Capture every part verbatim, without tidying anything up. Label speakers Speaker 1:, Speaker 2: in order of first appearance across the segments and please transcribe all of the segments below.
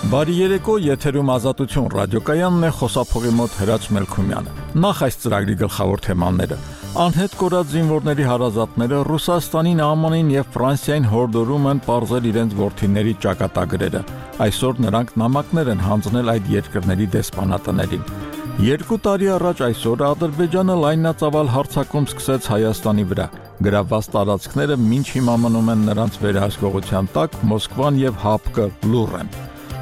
Speaker 1: Բարի երեկո, եթերում Ազատություն ռադիոկայանն է, խոսափողի մոտ Հրաչ Մելքումյանը։ Նախ այս ծրագրի գլխավոր թեմաները։ Անհետ կորած զինվորների հարազատները Ռուսաստանին, Α Մ Ն եւ Ֆրանսիային հորդորում են պարզել իրենց որդիների ճակատագրերը։ Այսօր նրանք նամակներ են հանձնել այդ երկրների դեսպանատներին։ Երկու տարի առաջ այսօր Ադրբեջանը լայնածավալ հարձակում սկսեց Հայաստանի վրա։ Գրավված տարածքները մինչ հիմա մնում են նրանց վերահսկողության տակ, Մոսկվան եւ ՀԱՊԿ լուռ են։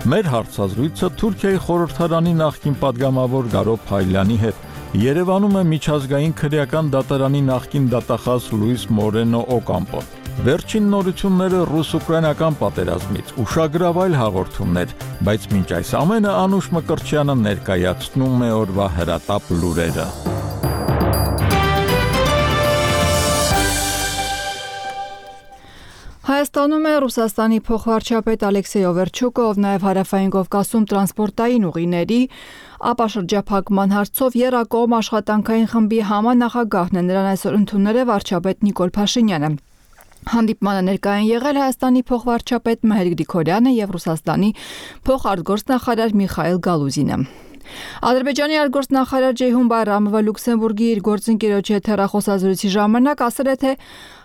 Speaker 1: Մեր հարցազրույցը Թուրքիայի խորհրդարանի նախկին падգամավոր Գարո Փայլյանի հետ։ Երևանում է միջազգային քրեական դատարանի նախկին դատախազ Լուիս Մորենո Օկամպոն։ Վերջին նորությունները ռուս-ուկրաինական պատերազմից, ուշագրավ այլ հաղորդումներ, բայց մինչ այս ամենը Անուշ Մկրտչյանը ներկայացնում է օրվա հրատապ լուրերը։
Speaker 2: Հայաստանում է Ռուսաստանի փոխվարչապետ Ալեքսեյ Օվերչուկը, ով նաև Հարավային Կովկասում տրանսպորտային ուղիների ապաշրջափակման հարցով եռակողմ աշխատանքային խմբի համանախագահն է, նրան այսօր ընդունել է վարչապետ Նիկոլ Փաշինյանը։ Հանդիպմանը ներկայ են եղել Հայաստանի փոխվարչապետ Մհեր Գրիգորյանը եւ Ռուսաստանի փոխարտգործնախարար Միխայիլ Գալուզինը։ Ադրբեջանի արտգործնախարար Ջեյհուն Բայրամովը Լյուքսեմբուրգի իր գործընկերոջ հետ հեռախոսազրույցի ժամանակ ասել է, թե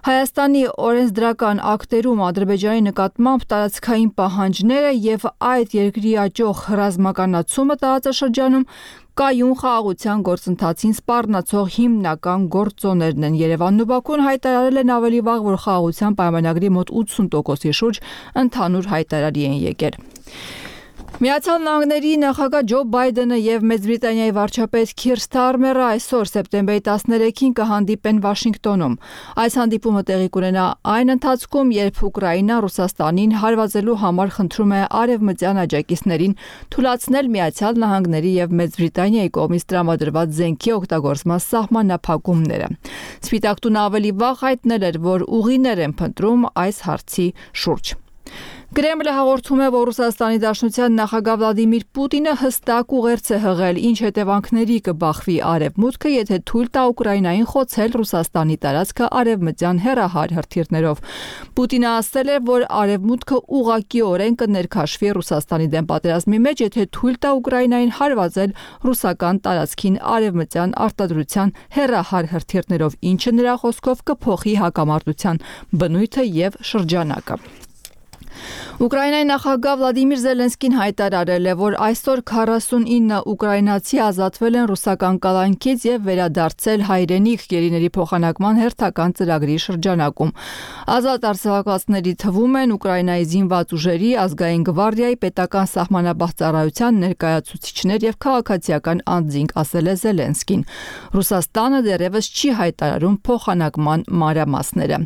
Speaker 2: Հայաստանի օրենսդրական ակտերում Ադրբեջանի նկատմամբ տարածքային պահանջները եւ այդ երկրի աճող ռազմականացումը տարածաշրջանում կայուն խաղաղության գործընթացին սպառնացող հիմնական գործոններն են։ Երևանն ու Բաքուն հայտարարել են ավելի վաղ, որ խաղաղության պայմանագրի մոտ ութսուն տոկոսի շուրջ ընդհանուր հայտարարի են եկել։ Միացյալ Նահանգների նախագահ Ջո Բայդենը եւ Մեծ Բրիտանիայի վարչապետ Քիր Սթարմերը այսօր սեպտեմբերի տասներեքին կհանդիպեն Վաշինգտոնում։ Այս հանդիպումը տեղի կունենա այն ընթացքում, երբ Ուկրաինան Ռուսաստանին հարվածելու համար խնդրում է արևմտյան աջակիցներին թույլատնել Միացյալ Նահանգների եւ Մեծ Բրիտանիայի կողմից տրամադրված զենքի օգտագործման սահմանափակումները։ Սպիտակ տունը ավելի վաղ հայտնել էր, որ ուղիներ են փնտրում այս հարցի շուրջ։ Կրեմլը հաղորդում է, որ Ռուսաստանի Դաշնության նախագահ Վլադիմիր Պուտինը հստակ ուղերձ է հղել, ինչ հետևանքների կբախվի Արևմուտքը, եթե թույլ տա Ուկրաինային խոցել Ռուսաստանի տարածքը արևմտյան հեռահար հրթիռներով։ Պուտինը ասել է, որ Արևմուտքը ուղղակիորեն կներքաշվի Ռուսաստանի դեմ պատերազմի մեջ, եթե թույլ տա Ուկրաինային հարվածել ռուսական տարածքին արևմտյան արտադրության հեռահար հրթիռներով, ինչը նրա խոսքով կփոխի հակամարտության բնույթը եւ շրջանակը։ Ուկրաինայի նախագահ Վլադիմիր Զելենսկին հայտարարել է, որ այսօր քառասունինը ուկրաինացի ազատվել են ռուսական կալանքից եւ վերադարձել հայրենիք գերիների փոխանակման հերթական ծրագրի շրջանակում։ Ազատ արձակվածների թվում են Ուկրաինայի զինված ուժերի, ազգային գվարդիայի, պետական սահմանապահ ծառայության ներկայացուցիչներ եւ քաղաքացիական անձինք, ասել է Զելենսկին։ Ռուսաստանը դեռևս չի հայտարարում փոխանակման մանրամասները։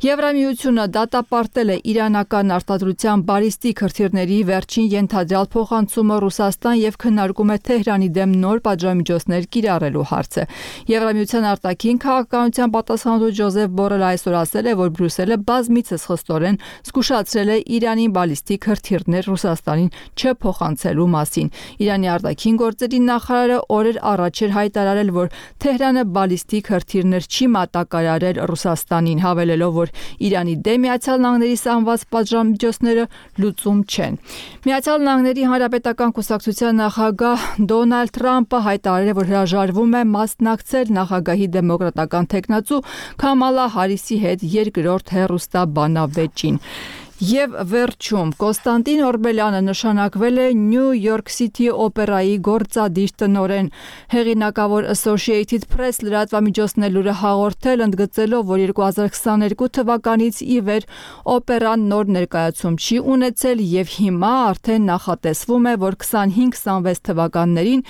Speaker 2: Եվրամիությունը դատապարտել է իրանական արտադրության բալիստիկ հրթիռների վերջին ենթադրյալ փոխանցումը Ռուսաստան եւ քննարկում է Թեհրանի դեմ նոր պատժամիջոցներ կիրառելու հարցը։ Եվրամիության արտաքին քաղաքականության պատասխանատու Ջոզեֆ Բորելը այսօր ասել է, որ Բրյուսելը բազմիցս խստորեն զգուշացրել է Իրանի բալիստիկ հրթիռներ Ռուսաստանին չփոխանցելու մասին։ Իրանի արտաքին գործերի նախարարը օրեր առաջ էր հայտարարել, որ Թեհրանը բալիստիկ հրթիռներ չի մատակարարել Ռուսաստանին, հավելելով, որ Իրանի դեմ Միացյալ Նահանգների սահմանված պատժամիջոցները լուծում չեն։ Միացյալ Նահանգների Հանրապետական կուսակցության նախագահ Դոնալդ Թրամփը հայտարարել է, որ հրաժարվում է մասնակցել նախագահի դեմոկրատական թեկնածու Քամալա Հարիսի հետ երկրորդ հեռուստաբանավեճին։ Եվ վերջում Կոստանդին Օրբելյանը նշանակվել է Նյու Յորք Սիթի օպերայի գործադիր տնօրեն։ Հեղինակավոր Associated Press լրատվամիջոցն է լուրը հաղորդել, ընդգծելով, որ երկու հազար քսաներկու թվականից ի վեր օպերան նոր ներկայացում չի ունեցել եւ հիմա արդեն նախատեսվում է, որ քսանհինգ քսանվեց թվականներին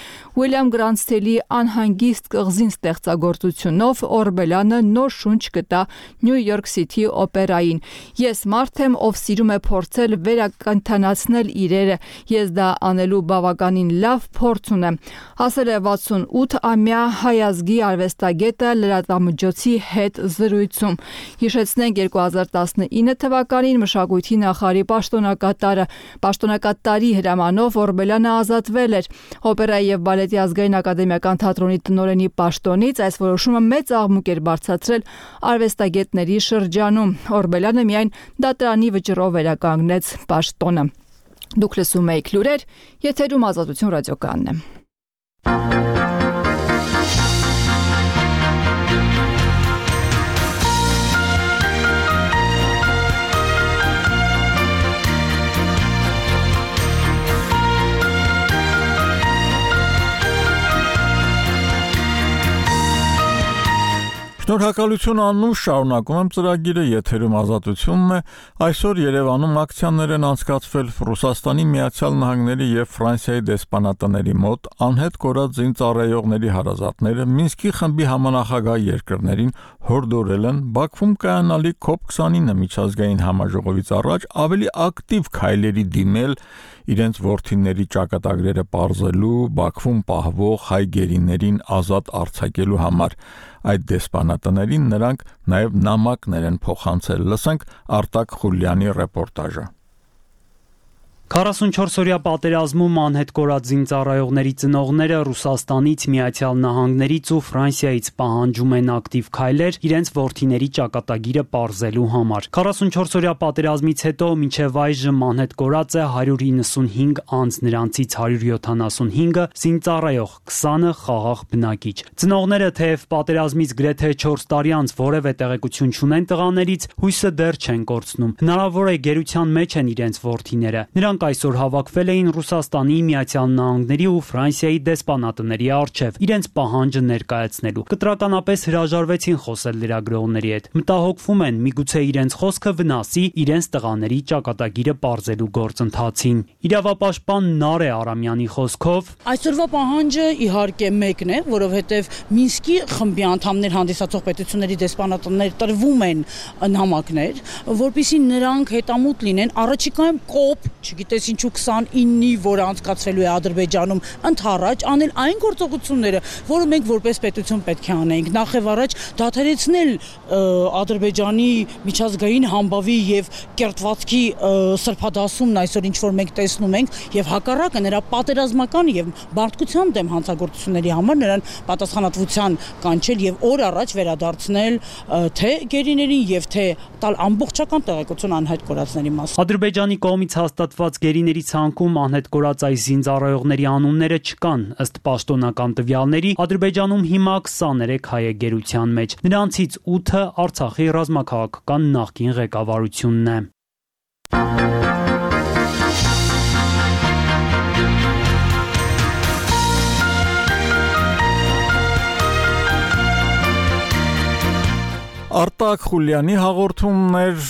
Speaker 2: Ուիլյամ Գրանստելի անհանգիստ կղզին ստեղծագործությունով Օրբելյանը նոր շունչ կտա Նյու Յորք Սիթի օպերային։ Ես մարդ եմ, ով սիրում է փորձել վերակենդանացնել իրերը, ես դա անելու բավականին լավ փորձ ունեմ, ասել է վաթսունութամյա հայազգի արվեստագետը լրատվամիջոցի հետ զրույցում։ Հիշեցնենք երկու հազար տասնինը թվականին մշակույթի նախարարի պաշտոնակատարը պաշտոնակատարի հրամանով Օրբելյանը ազատվել էր օպերայի եւ բալետի ազգային ակադեմիական թատրոնի տնօրենի պաշտոնից։ Այս որոշումը մեծ աղմուկ էր բարձրացրել արվեստագետների շրջանում։ Օրբելյանը միայն դատարանի վճռով վերականգնեց պաշտոնը։ Դուք լսում եք լուրեր, եթերում Ազատություն ռադիոկայանն է։
Speaker 1: Շնորհակալություն անունով շարունակում եմ ծրագիրը, եթերում Ազատությունն է։ Այսօր Երևանում ակցիաներ են անցկացվել Ռուսաստանի Միացյալ Նահանգների եւ Ֆրանսիայի դեսպանատների մոտ, անհետ կորած զինծառայողների հարազատները Մինսկի խմբի համանախագահ երկրներին հորդորել են Բաքվում կայանալի քոփ քսանինը միջազգային համաժողովից առաջ ավելի ակտիվ քայլերի դիմել իրենց որդիների ճակատագրերը պարզելու, Բաքվում պահվող հայ գերիներին ազատ արձակելու համար։ Այդ դեսպանատներին նրանք նաև նամակներ են փոխանցել։ Լսենք Արտակ Խուլյանի ռեպորտաժը։
Speaker 3: քառասունչորս-օրյա պատերազմում անհետ կորած զինծառայողների ծնողները Ռուսաստանից, Միացյալ Նահանգներից ու Ֆրանսիայից պահանջում են ակտիվ քայլեր իրենց որդիների ճակատագիրը պարզելու համար։ քառասունչորս-օրյա պատերազմից հետո մինչև այժմ անհետ կորած է հարյուր իննսունհինգ անձ, նրանցից հարյուր յոթանասունհինգը զինծառայող, քսանը խաղաղ բնակիչ։ Ծնողները թեև պատերազմից գրեթե չորս տարի անց որևէ տեղեկություն չունեն տղաներից, հույսը դեռ չեն կորցնում։ Հնարավոր է գերության մեջ են իրենց որդիները։ Նրանք այսօր հավաքվել էին Ռուսաստանի, Միացյալ Նահանգների ու Ֆրանսիայի դեսպանատների առջև իրենց պահանջը ներկայացնելու։ Կտրականապես հրաժարվեցին խոսել լրագրողների հետ։ Մտահոգվում են, միգուցե իրենց խոսքը վնասի իրենց տղաների ճակատագիրը պարզելու գործընթացին։ Իրավապաշտպան Նարե Արամյանի խոսքով
Speaker 4: այսօրվա պահանջը իհարկե մեկն է, որովհետև Մինսկի խմբի անդամներ հանդիսացող պետությունների դեսպանատներ տրվում են նամակներ, որպեսզի նրանք հետամուտ լինեն առաջիկայում կոպ, չգիտես ինչու քսանինի, որը անցկացվելու է Ադրբեջանում, ընդառաջ անել այն գործողությունները, որը մենք որպես պետություն պետք է անենք, նախ եւ առաջ դադարեցնել Ադրբեջանի միջազգային համբավի եւ կերտվածքի սրբադասումն այսօր ինչ որ մենք տեսնում ենք, եւ հակառակը նրա պատերազմական եւ մարդկության դեմ հանցագործությունների համար նրան պատասխանատվության կանչել եւ օր առաջ վերադարձնել թե գերիներին եւ թե տալ ամբողջական տեղեկություն անհայտ կորածների մասին։
Speaker 3: Ադրբեջանի կողմից հաստատված գերիների ցանկում անհետ կորած այս զինծառայողների անունները չկան։ Ըստ պաշտոնական տվյալների, Ադրբեջանում հիմա քսաներեք հայ է գերության մեջ։ Նրանցից ութը Արցախի ռազմաքաղաքական նախկին ղեկավարությունն է։
Speaker 1: Արտակ Խուլյանի հաղորդումներ,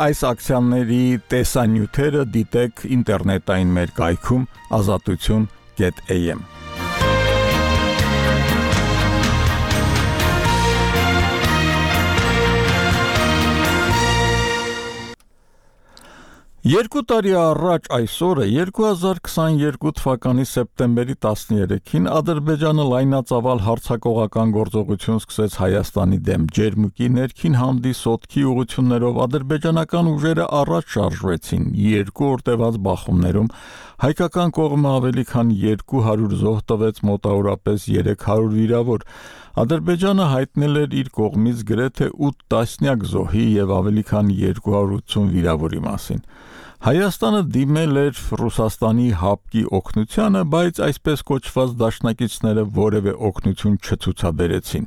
Speaker 1: այս ակցիաների տեսանյութերը դիտեք ինտերնետային մեր կայքում ազատություն կետ էյ էմ։ Երկու տարի առաջ այսօրը երկու հազար քսաներկու թվականի սեպտեմբերի տասներեքին Ադրբեջանը լայնածավալ հարձակողական գործողություն սկսեց Հայաստանի դեմ։ Ջերմուկի ներքին հանդիս ոտքի ուղղություններով ադրբեջանական ուժերը առաջ շարժվեցին։ Երկու օր տևած բախումներում հայկական կողմը ավելի քան երկու հարյուր զոհ տվեց, մոտավորապես երեք հարյուր վիրավոր։ Ադրբեջանը հայտնել էր իր կողմից գրեթե ութ տասնյակ զոհի եւ ավելի քան երկու հարյուր ութսուն վիրավորի մասին։ Հայաստանը դիմել էր Ռուսաստանի հապկի օգնությանը, բայց այսպես կոչված դաշնակիցները որևէ օգնություն չցուցաբերեցին։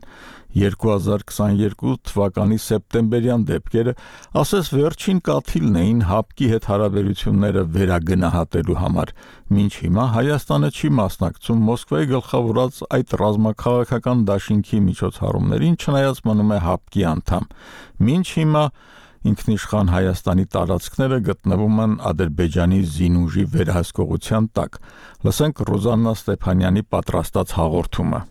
Speaker 1: երկու հազար քսաներկու թվականի սեպտեմբերյան դեպքերը ասես վերջին կաթիլն էին հապկի հետ հարաբերությունները վերագնահատելու համար։ Մինչ հիմա Հայաստանը չի մասնակցում Մոսկվայի գլխավորած այդ ռազմաքաղաքական դաշինքի միջոցառումներին, չնայած մնում է հապկի անդամ։ Մինչ հիմա ինքնիշխան Հայաստանի տարածքները գտնվում են Ադրբեջանի զինուժի վերահսկողության տակ։ Լսենք Ռոզաննա Ստեփանյանի պատրաստած հաղորդումը։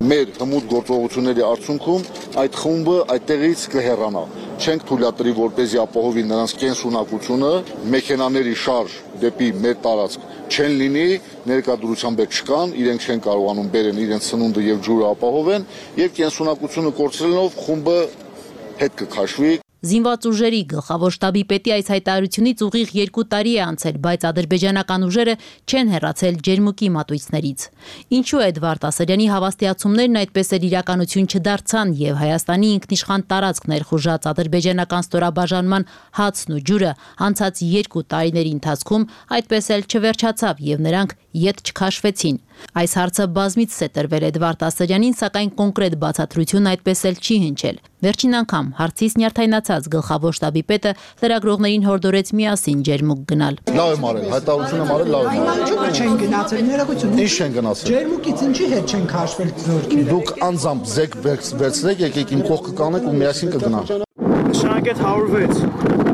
Speaker 5: Մեր հմուտ գործողությունների արդյունքում այդ խումբը այդտեղից կհեռանա։ Չենք թույլատրի, որպեսզի ապահովի նրանց կենսունակությունը, մեքենաների շարժ դեպի մեր տարածք չեն լինի, ներկայությամբ չկան, իրենք չեն կարողանում բերեն իրենց սնունդը եւ ջուրը ապահովեն, եւ կենսունակությունը կորցրելով խումբը հետ կքաշվի։
Speaker 6: Զինված ուժերի գլխավոր շտաբի պետի այս հայտարարությունից ուղիղ երկու տարի է անցել, բայց ադրբեջանական ուժերը չեն հեռացել ջերմուկի մատույցներից։ Ինչու է Էդվարդ Ասարյանի հավաստիացումներն այդպես էլ իրականություն չդարձան եւ Հայաստանի ինքնիշխան տարածք ներխուժած ադրբեջանական ստորաբաժանման հացն ու ջուրը անցած երկու տարիների ընթացքում այդպես էլ չվերջացավ եւ նրանք ետ չքաշվեցին։ Այս հարցը բազմիցս է տրվել Էդվարդ Ասարյանին, սակայն կոնկրետ բացատրություն այդպես էլ չի հնչել։ Վերջին անգամ հարցից նյարդայնացած գլխավոր շտաբի պետը լրագրողներին հորդորեց միասին ջերմուկ գնալ։
Speaker 5: Լավ եմ արել, հայտարարությունը արել լավ եմ արել։
Speaker 7: Ինչու՞ չեն գնացել, ներողություն։
Speaker 5: Ինչ չեն գնացել։
Speaker 7: Ջերմուկից ինչի հետ չեն քաշվել զորքերը։
Speaker 5: Դուք անձամբ զեք վերցրեք, եկեք իմ կողքը կանեք ու միասին կգնանք։
Speaker 7: Նշանակეთ հարյուր վեց։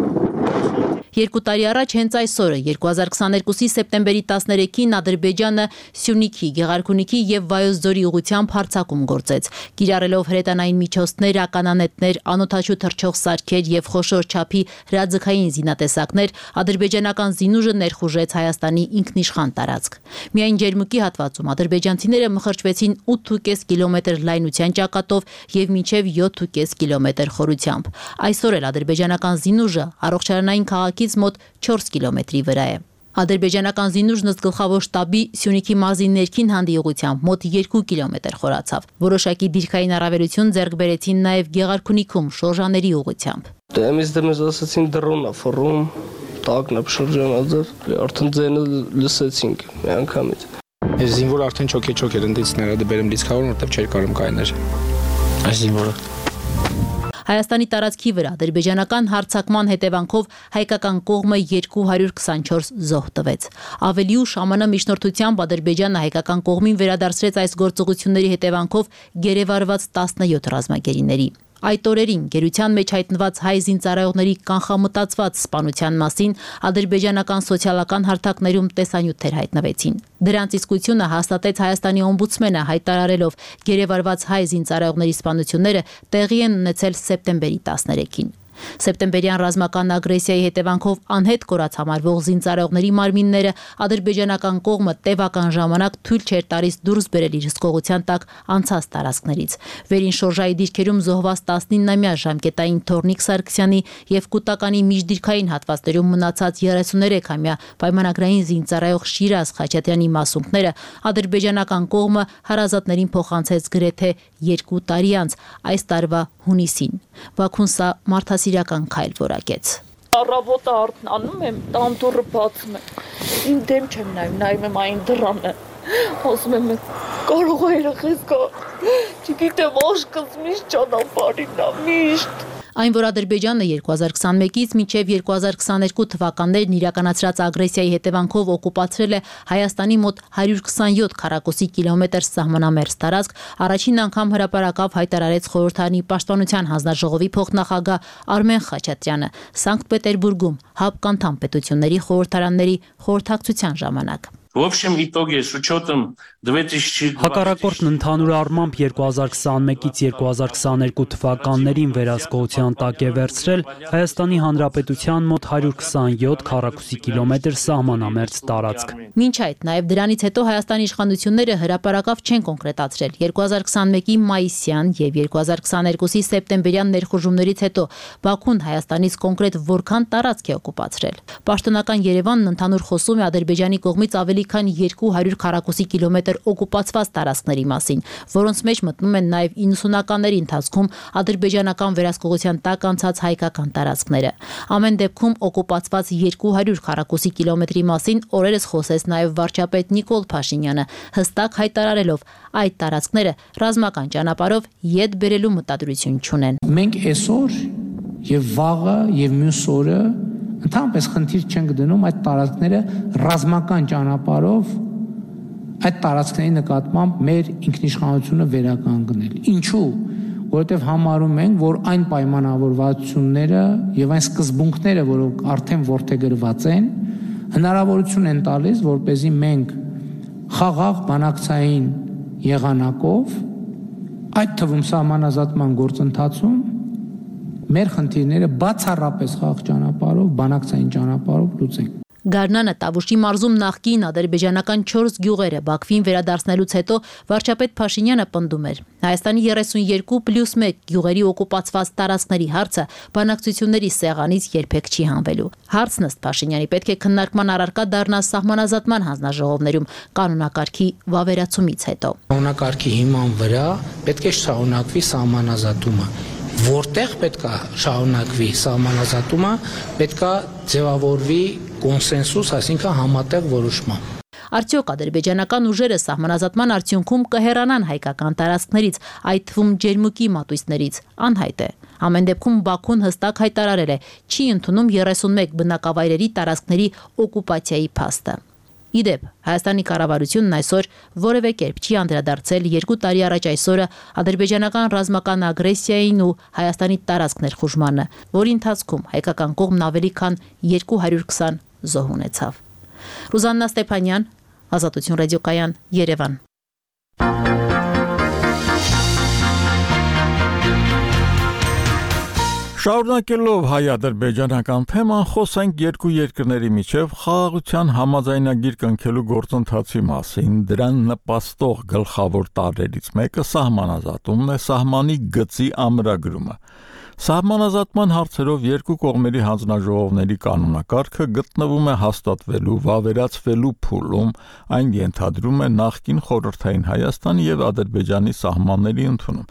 Speaker 6: Երկու տարի առաջ հենց այս օրը երկու հազար քսաներկուսի սեպտեմբերի տասներեքին Ադրբեջանը Սյունիքի, Գեղարքունիքի եւ Վայոց ձորի ուղղությամբ հարձակում գործեց։ Կիրառելով հրետանային միջոցներ, ականանետներ, անօդաչու թռչող սարքեր եւ խոշոր չափի հրաձգային զինատեսակներ, ադրբեջանական զինուժը ներխուժեց Հայաստանի ինքնիշխան տարածք։ Միայն ջերմուկի հատվածում ադրբեջանցիները մխրճվեցին ութ ու կես կիլոմետր լայնության ճակատով եւ մինչեւ յոթ ու կես կիլոմետր խորությամբ։ Այսօր էլ ադրբեջանական զինուժը առողջարանային քաղաքից մոտ չորս կիլոմետրի վրա է։ Ադրբեջանական զինուժն ըստ գլխավոր շտաբի Սյունիքի մարզի ներքին հանդիուղությամբ մոտ երկու կիլոմետր խորացավ։ Որոշակի դիրքային առավելություն ձեռք բերեցին նաև Գեղարքունիքում շորժաների ուղղությամբ։
Speaker 8: Դեմից դեմից ասացին դրոնա ֆռում, տակն է շրջանաձև, արդեն ձենը լսեցինք մի անգամից։
Speaker 9: Այս զինվորը արդեն չոք-չոք էր ընդիցները դբերեմ լիցքավորն, որտեղ չէր կարող կայներ։ Այս զինվորը
Speaker 6: Հայաստանի տարածքի վրա ադրբեջանական հարձակման հետևանքով հայկական կողմը երկու հարյուր քսանչորս զոհ տվեց։ Ավելի ուշ ԱՄՆ միջնորդությամբ Ադրբեջանը հայկական կողմին վերադարձրեց այս գործողությունների հետևանքով գերեվարված տասնյոթ ռազմագերիների։ Այդ օրերին գերության մեջ հայտնված հայ զինծառայողների կանխամտածված սպանության մասին ադրբեջանական սոցիալական հարթակներում տեսանյութեր հայտնվեցին։ Դրանց իսկությունը հաստատեց Հայաստանի օմբուդսմենը հայտարարելով գերեվարված հայ զինծառայողների սպանությունները տեղի են ունեցել սեպտեմբերի տասներեքին։ Սեպտեմբերյան ռազմական ագրեսիայի հետևանքով անհետ կորած համարվող զինծառայողների մարմինները ադրբեջանական կողմը տևական ժամանակ թույլ չէր տալիս դուրս բերել իր հսկողության տակ անցած տարածքներից։ Վերին շորժայի դիրքերում զոհված տասնինամյա ժամկետային Թորնիկ Սարգսյանի եւ Կուտականի միջդիրքային հատվածներում մնացած երեսուներեքամյա պայմանագրային զինծառայող Շիրազ Խաչատրյանի մասունքները ադրբեջանական կողմը հարազատներին փոխանցեց գրեթե երկու տարի անց այս տարվա հունիսին։ Բաքուն սա մարդասիրական քայլ որակեց։
Speaker 10: Առավոտը արթնանում եմ, տանտուրը բացում եմ։ Ին դեմ չեմ նայում, նայում եմ այն դռանը։ Ասում եմ, կարող է երեխես գա։ Չգիտեմ, աշկս միշտ ճանապարհին է, միշտ։
Speaker 6: Այն, որ Ադրբեջանը երկու հազար քսանմեկից մինչև երկու հազար քսաներկու թվականներն իրականացրած ագրեսիայի հետևանքով օկուպացրել է Հայաստանի մոտ հարյուր քսանյոթ քառակուսի կիլոմետր սահմանամերձ տարածք, առաջին անգամ հրապարակավ հայտարարեց Խորհրդարանի պաշտպանության հանձնաժողովի փոխնախագահ Արմեն Խաչատրյանը Սանկտ Պետերբուրգում ՀԱՊԿ անդամ պետությունների խորհրդարանների խորհրդակցության ժամանակ։
Speaker 11: В общем итоге с учетом две тысячи
Speaker 3: Հակառակորդն ընդհանուր առմամբ երկու հազար քսանմեկից երկու հազար քսաներկու թվականներին վերահսկողության տակ է վերցրել Հայաստանի Հանրապետության մոտ հարյուր քսանյոթ քառակուսի կիլոմետր սահմանամերձ տարածք։
Speaker 6: Մինչ այդ նաև դրանից հետո Հայաստանի իշխանությունները հրապարակավ չեն կոնկրետացրել երկու հազար քսանմեկի մայիսյան եւ երկու հազար քսաներկուսի սեպտեմբերյան ներխուժումներից հետո Բաքուն Հայաստանից կոնկրետ որքան տարածք է օկուպացրել։ Պաշտոնական Երևանն ընդհանուր խոսում է Ադրբեջանի կողմից ավելի քան երկու հարյուր քառակուսի կիլոմետր օկուպացված տարածքների մասին, որոնց մեջ մտնում են նաև իննսունականների ընթացքում ադրբեջանական վերահսկողության տակ անցած հայկական տարածքները։ Ամեն դեպքում օկուպացված երկու հարյուր քառակուսի կիլոմետրի մասին օրերս խոսեց նաև վարչապետ Նիկոլ Փաշինյանը, հստակ հայտարարելով այդ տարածքները ռազմական ճանապարհով ետ բերելու մտադրություն չունեն։
Speaker 7: Մենք այսօր եւ վաղը եւ մյուս օրը ընդհանրապես խնդիր չենք դնում այդ տարածքները ռազմական ճանապարհով այդ տարածքների նկատմամբ մեր ինքնիշխանությունը վերականգնել։ Ինչու՞, որովհետև համարում ենք, որ այն պայմանավորվածությունները եւ այն սկզբունքները, որոնք արդեն ворթեգրված են, հնարավորություն են տալիս, որպեսզի մենք խաղաղ բանակցային եղանակով, այդ թվում սահմանազատման գործընթացում մեր խնդիրները բացառապես խաղաղ ճանապարհով, բանակցային ճանապարհով լուծենք։
Speaker 6: Գարնանը Տավուշի մարզում նախկին ադրբեջանական չորս գյուղերը Բաքվին վերադարձնելուց հետո վարչապետ Փաշինյանը պնդում էր. Հայաստանի երեսունյոթ պլյուս մեկ գյուղերի օկուպացված տարածքների հարցը բանակցությունների սեղանից երբեք չի հանվելու։ Հարցն ըստ Փաշինյանի պետք է քննարկման առարկա դառնա սահմանազատման հանձնաժողովներում կանոնակարգի վավերացումից հետո։
Speaker 7: Կանոնակարգի հիման վրա պետք է շարունակվի սահմանազատումը։ Որտեղ պետք է շարունակվի սահմանազատումը, պետք է ձևավորվի կոնսենսուս, այսինքն համատեղ որոշման։
Speaker 6: Արդյոք ադրբեջանական ուժերը սահմանազատման արդյունքում կհեռանան հայկական տարածքներից, այդ թվում ջերմուկի մատույցներից, անհայտ է։ Ամեն դեպքում Բաքուն հստակ հայտարարել է, չի ընդունում երեսունմեկ բնակավայրերի տարածքների օկուպացիայի փաստը։ Իդեպ, Հայաստանի կառավարությունն այսօր որևէ կերպ չի անդրադարձել երկու տարի առաջ այսօրը ադրբեջանական ռազմական ագրեսիային ու Հայաստանի տարածք ներխուժմանը, որի ընթացքում հայկական կողմն ավելի քան երկու հարյուր քսան զոհ ունեցավ։ Ռուզաննա Ստեփանյան, Ազատություն ռադիոկայան, Երևան։
Speaker 1: Շարունակելով հայ-ադրբեջանական թեման, խոսենք երկու երկրների միջև խաղաղության համաձայնագիր կնքելու գործընթացի մասին։ Դրան նպաստող գլխավոր տարրերից մեկը սահմանազատումն է, սահմանի գծի ամրագրումը։ Սահմանազատման հարցերով երկու կողմերի հանձնաժողովների կանոնակարգը գտնվում է հաստատվելու, վավերացվելու փուլում, այն ենթադրում է նախկին խորհրդային Հայաստանի եւ Ադրբեջանի սահմանների ընդունում,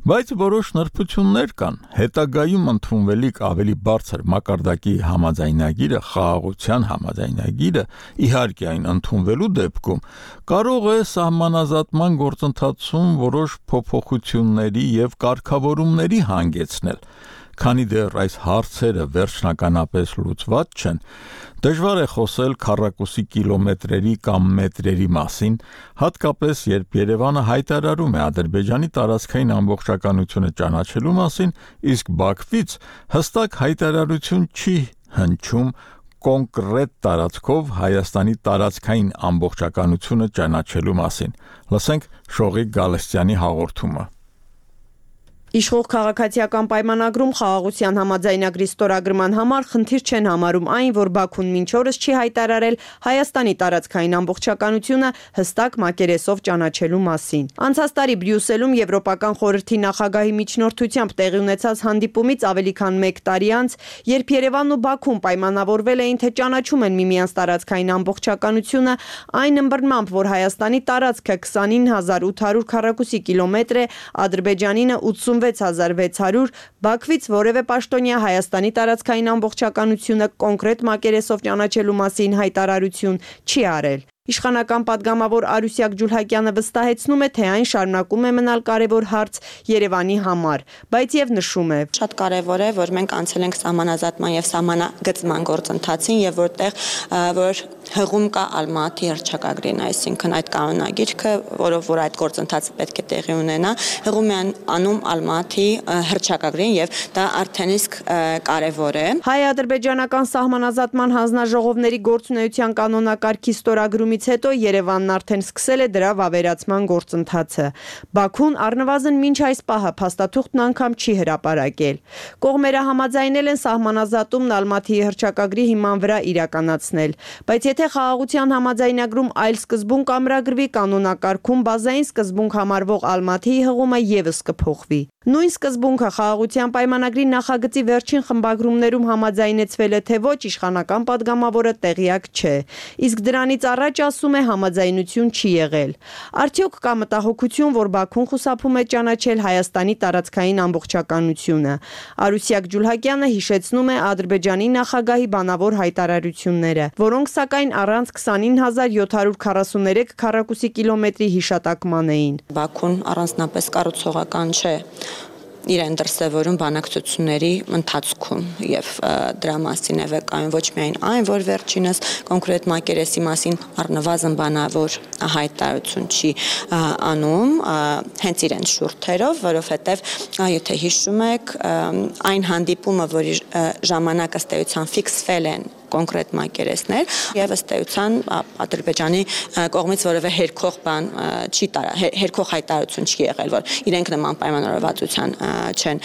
Speaker 1: բայց որոշ նրբություններ կան։ Հետագայում ընդունվելիք ավելի բարձր մակարդակի համաձայնագիրը, խաղաղության համաձայնագիրը, իհարկե այն ընդունվելու դեպքում կարող է սահմանազատման գործընթացում որոշ փոփոխությունների եւ կարգավորումների հանգեցնել։ Քանի դեռ այս հարցերը վերջնականապես լուծված չեն, դժվար է խոսել քառակուսի կիլոմետրերի կամ մետրերի մասին, հատկապես երբ Երևանը հայտարարում է Ադրբեջանի տարածքային ամբողջականությունը ճանաչելու մասին, իսկ Բաքվից հստակ հայտարարություն չի հնչում կոնկրետ տարածքով Հայաստանի տարածքային ամբողջականությունը ճանաչելու մասին։ Լսենք Շողիկ Գալստյանի հաղորդումը։
Speaker 12: Իշխող քաղաքացիական պայմանագրում խաղաղության համաձայնագրի ստորագրման համար խնդիր չեն համարում այն, որ Բաքուն մինչ օրս չի հայտարարել Հայաստանի տարածքային ամբողջականությունը հստակ մակերեսով ճանաչելու մասին։ Անցած տարի Բրյուսելում Եվրոպական խորհրդի նախագահի միջնորդությամբ տեղի ունեցած հանդիպումից ավելի քան մեկ տարի անց, երբ Երևանն ու Բաքուն պայմանավորվել էին, թե ճանաչում են միմյանց տարածքային ամբողջականությունը, այն ըմբռնմամբ, որ Հայաստանի տարածքը քսանինը հազար ութ հարյուր քառակուսի կիլոմետր է, Ադրբեջանինը ութսունվեց հազար վեց հարյուր, Բաքվից որևէ պաշտոնյա Հայաստանի տարածքային ամբողջականությունը կոնկրետ մակերեսով ճանաչելու մասին հայտարարություն չի արել։ Իշխանական պատգամավոր Արուսյակ Ջուլհակյանը վստահեցնում է, թե այն շարունակում է մնալ կարևոր հարց Երևանի համար, բայց եւ նշում է.
Speaker 13: Շատ կարևոր է, որ մենք անցել ենք սահմանազատման եւ սահմանագծման գործընթացին եւ որտեղ որ հղում կա Ալմատի հռչակագրին, այսինքն այդ կանոնագիրքը, որով որ այդ գործընթացը պետք է տեղի ունենա, հղում է անում Ալմատի հռչակագրին եւ դա արդեն իսկ կարևոր է։
Speaker 12: Հայ-ադրբեջանական սահմանազատման հանձնաժողովների գործունեության կանոնակարգի ստորագրումից հետո Երևանն արդեն սկսել է դրա վավերացման գործընթացը։ Բաքուն առնվազն մինչ այս պահը փաստաթուղթն անգամ չի հրապարակել։ Կողմերը համաձայնել են սահմանազատումն Ալմատիի հռչակագրի հիման վրա իրականացնել, բայց եթե խաղաղության համաձայնագրում այլ սկզբունք ամրագրվի, կանոնակարգում բազային սկզբունք համարվող Ալմատիի հղումը ևս կփոխվի։ Նույն սկզբունքը խաղաղության պայմանագրի նախագծի վերջին խմբագրումներում համաձայնեցվել է, թե ոչ, իշխանական պատգամավորը տեղյակ չէ, իսկ դրանից առաջ ասում է համաձայնություն չի եղել։ Արդյոք կա մտահոգություն, որ Բաքուն խուսափում է ճանաչել Հայաստանի տարածքային ամբողջականությունը։ Արուսյակ Ջուլհակյանը հիշեցնում է Ադրբեջանի նախագահի բանավոր հայտարարությունները, որոնք սակայն առանց քսանինը հազար յոթ հարյուր քառասուներեք քառակուսի կիլոմետրի հիշատակման էին։
Speaker 13: Բաքուն առանձնապես կառուցողական չէ իրեն դրսևորում բանակցությունների ընթացքում եւ դրա մասին է վկայում ոչ միայն այն, որ վերջինս կոնկրետ մակերեսի մասին առնվազն բանավոր հայտարարություն չի անում հենց իրեն շուրթերով, որովհետեւ եթե հիշում եք այն հանդիպումը, որի ժամանակ ըստ էության ֆիքսվել են կոնկրետ մակերեսներ եւ ըստ էության Ադրբեջանի կողմից որևէ հերքող բան չի տարա, հերքող հայտարարություն չի եղել, որ իրենք նման պայմանավորվածության չեն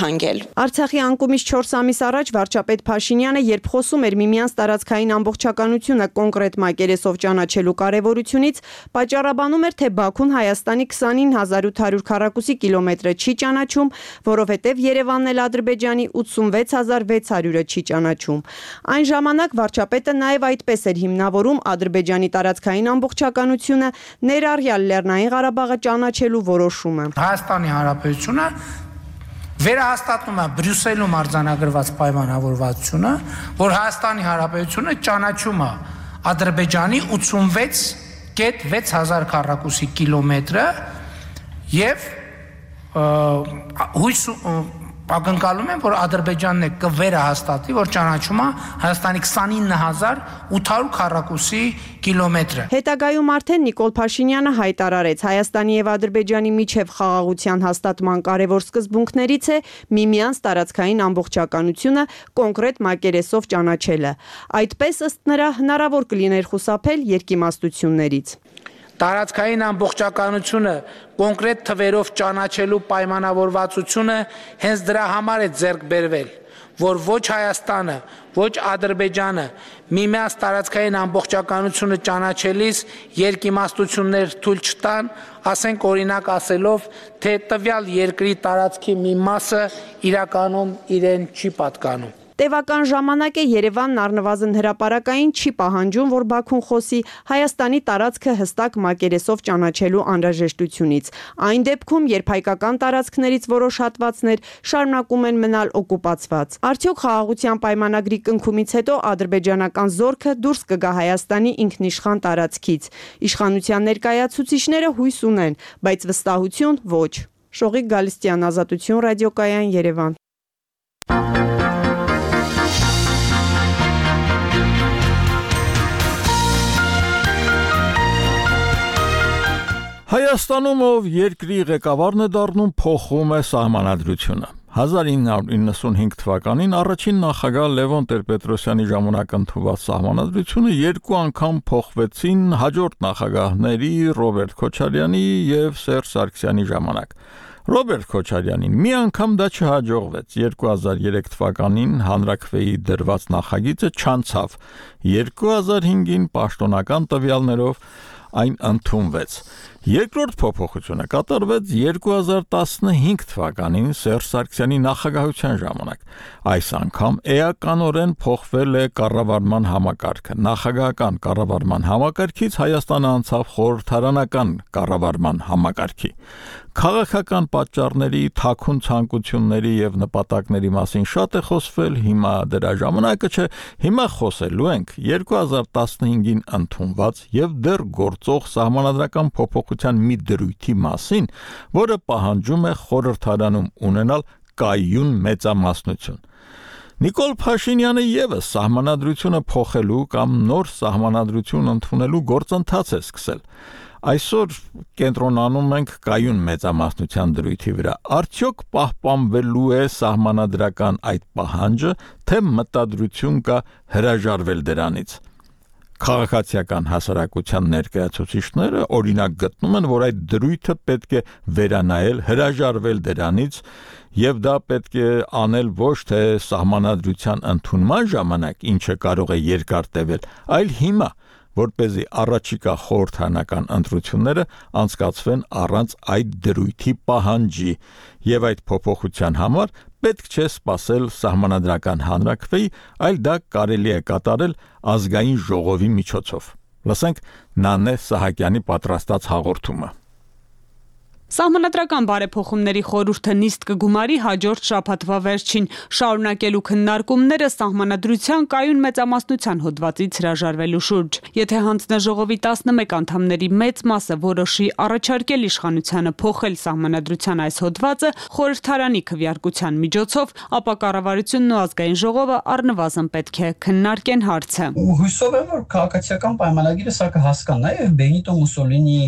Speaker 13: հանգել։
Speaker 12: Արցախի անկումից չորս ամիս առաջ վարչապետ Փաշինյանը, երբ խոսում էր միմյանց տարածքային ամբողջականությունը կոնկրետ մակերեսով ճանաչելու կարևորությունից, պատճառաբանում էր, թե Բաքուն Հայաստանի քսանինը հազար ութ հարյուր քառակուսի կիլոմետրը չի ճանաչում, որովհետև Երևանն էլ Ադրբեջանի ութսունվեց հազար վեց հարյուրը չի ճանաչում։ Այն ժամանակ վարչապետը նաև այդպես էր հիմնավորում Ադրբեջանի տարածքային ամբողջականությունը, ներառյալ Լեռնային Ղարաբաղը ճանաչելու որոշումը։
Speaker 7: Հայաստանի Հանրապետությունը վերահաստատում է Բրյուսելում արձանագրված պայմանավորվածությունը, որ Հայաստանի Հանրապետությունը ճանաչում է Ադրբեջանի ութսունվեց կետ վեց հազար քառակուսի կիլոմետրը եւ հույս ակնկալում են, որ Ադրբեջանն է կվերահաստատի, որ ճանաչում է Հայաստանի քսանինը հազար ութ հարյուր քառակուսի կիլոմետրը։
Speaker 12: Հետագայում արդեն Նիկոլ Փաշինյանը հայտարարեց, Հայաստանի եւ Ադրբեջանի միջև խաղաղության հաստատման կարևոր սկզբունքներից է միմյանց տարածքային ամբողջականությունը կոնկրետ մակերեսով ճանաչելը։ Այդպես ըստ նրա հնարավոր կլիներ խուսափել երկիմաստություններից։
Speaker 7: Տարածքային ամբողջականությունը կոնկրետ թվերով ճանաչելու պայմանավորվածությունը հենց դրա համար է ձեռք բերվել, որ ոչ Հայաստանը, ոչ Ադրբեջանը միմյանց տարածքային ամբողջականությունը ճանաչելիս երկիմաստություններ թույլ չտան, ասենք օրինակ ասելով, թե տվյալ երկրի տարածքի մի մասը իրականում իրեն չի պատկանում։
Speaker 12: Տևական ժամանակ է Երևանն առնվազն հրապարակային չի պահանջում, որ Բաքուն խոսի Հայաստանի տարածքը հստակ մակերեսով ճանաչելու անհրաժեշտությունից։ Այն դեպքում, երբ հայկական տարածքներից որոշ հատվածներ շարունակում են մնալ օկուպացված։ Արդյոք խաղաղության պայմանագրի կնքումից հետո ադրբեջանական զորքը դուրս կգա Հայաստանի ինքնիշխան տարածքից։ Իշխանության ներկայացուցիչները հույս ունեն, բայց վստահություն ոչ։ Շողիկ Գալստյան, Ազատություն, ռադիոկայան, Երևան։
Speaker 1: Հայաստանում ով երկրի ղեկավարն է դառնում, փոխում է սահմանադրությունը։ հազար ինը հարյուր իննսունհինգ թվականին առաջին նախագահ Լևոն Տեր-Պետրոսյանի ժամանակ ընդունված սահմանադրությունը երկու անգամ փոխվեցին հաջորդ նախագահների Ռոբերտ Քոչարյանի եւ Սերժ Սարգսյանի ժամանակ։ Ռոբերտ Քոչարյանին մի անգամ դա չհաջողվեց։ երկու հազար երեք թվականին հանրաքվեի դրված նախագիծը չանցավ։ երկու հազար հինգին պաշտոնական տվյալներով այն ընդունվեց։ Երկրորդ փոփոխությունը կատարվեց երկու հազար տասնհինգ թվականին Սերժ Սարգսյանի նախագահության ժամանակ։ Այս անգամ էականորեն փոխվել է կառավարման համակարգը։ Նախագահական կառավարման համակարգից Հայաստանը անցավ խորհրդարանական կառավարման համակարգի։ Քաղաքական պատճառների, թաքուն ցանկությունների եւ նպատակների մասին շատ է խոսվել, հիմա դրա ժամանակը չէ, հիմա խոսելու ենք երկու հազար տասնհինգին ընդունված եւ դեռ գործող սահմանադրական փոփոխության մի դրույթի մասին, որը պահանջում է խորհրդարանում ունենալ կայուն մեծամասնություն։ Նիկոլ Փաշինյանը եւս սահմանադրությունը փոխելու կամ նոր սահմանադրություն ընդունելու գործընթաց է սկսել։ Այսօր կենտրոնանում ենք կայուն մեծամասնության դրույթի վրա։ Արդյոք պահպանվելու է սահմանադրական այդ պահանջը, թե մտադրություն կա հրաժարվել դրանից։ Քաղաքացիական հասարակության ներկայացուցիչները օրինակ գտնում են, որ այդ դրույթը պետք է վերանայել, հրաժարվել դրանից, եւ դա պետք է անել ոչ թե սահմանադրության ընդունման ժամանակ, ինչը կարող է երկար տևել, այլ հիմա, որպեսզի առաջիկա խորհրդարանական ընտրությունները անցկացվեն առանց այդ դրույթի պահանջի, եւ այդ փոփոխության համար պետք չէ սպասել սահմանադրական հանրաքվեի, այլ դա կարելի է կատարել ազգային ժողովի միջոցով։ Լսենք Նանե Սահակյանի պատրաստած հաղորդումը։
Speaker 14: Սահմանադրական բարեփոխումների խորհուրդը նիստ կգումարի հաջորդ շաբաթվա վերջին, շարունակելու քննարկումները սահմանադրության կայուն մեծամասնության հոդվածից հրաժարվելու շուրջ։ Եթե հանձնաժողովի տասնմեկ անդամների մեծ մասը որոշի առաջարկել իշխանությանը փոխել սահմանադրության այս հոդվածը խորհրդարանի քվեարկության միջոցով, ապա կառավարությունն ու ազգային ժողովը առնվազն պետք է քննարկեն հարցը։
Speaker 15: Հույսով եմ, որ քաղաքացիական պայմանագիրը սա կհասկանա եւ Բենիտո Մուսոլինի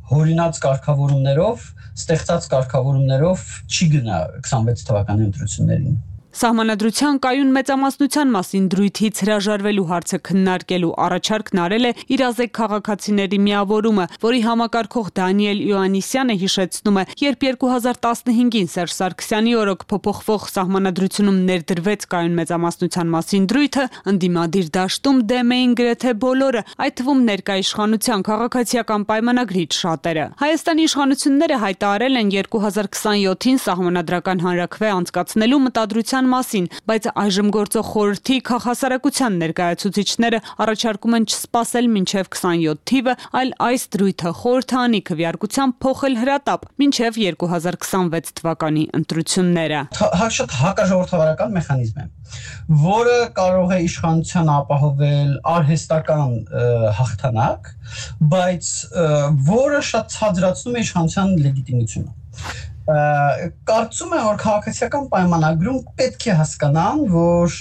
Speaker 15: հորինած կարգավորումներով, ստեղծած կարգավորումներով չի գնա քսանվեց թվականի ընտրություններին։
Speaker 14: Սահմանադրության կայուն մեծամասնության մասին դրույթից հրաժարվելու հարցը քննարկելու առաջարկն արել է իրազեկ քաղաքացիների միավորումը, որի համակարգող Դանիել Իոաննիսյանը հիշեցնում է, երբ երկու հազար տասնհինգին Սերժ Սարգսյանի օրոք փոփոխվող սահմանադրությունում ներդրվեց կայուն մեծամասնության մասին դրույթը, ընդդիմադիր դաշտում դեմ էին գրեթե բոլորը, այդ թվում ներկա իշխանության քաղաքացիական պայմանագրից շատերը։ Հայաստանի իշխանությունները հայտարարել են երկու հազար քսանյոթին սահմանադրական հանրաքվե անցկացնելու մտադրության մասին, բայց այժմ գործող խորհրդի քաղաքասարակության ներկայացուցիչները առաջարկում են չսպասել մինչև քսանյոթ թիվը, այլ այս դրույթը խորհրդանի քվեարկությամբ փոխել հրատապ մինչև երկու հազար քսանվեց թվականի ընտրությունները։
Speaker 15: Շատ հակաժողովրդավարական մեխանիզմ է, որը կարող է իշխանության ապահովել արհեստական հաղթանակ, բայց որը շատ ցածրացնում է իշխանության լեգիտիմությունը։ Կարծում եմ, որ քաղաքացիական պայմանագրում պետք է հասկանան, որ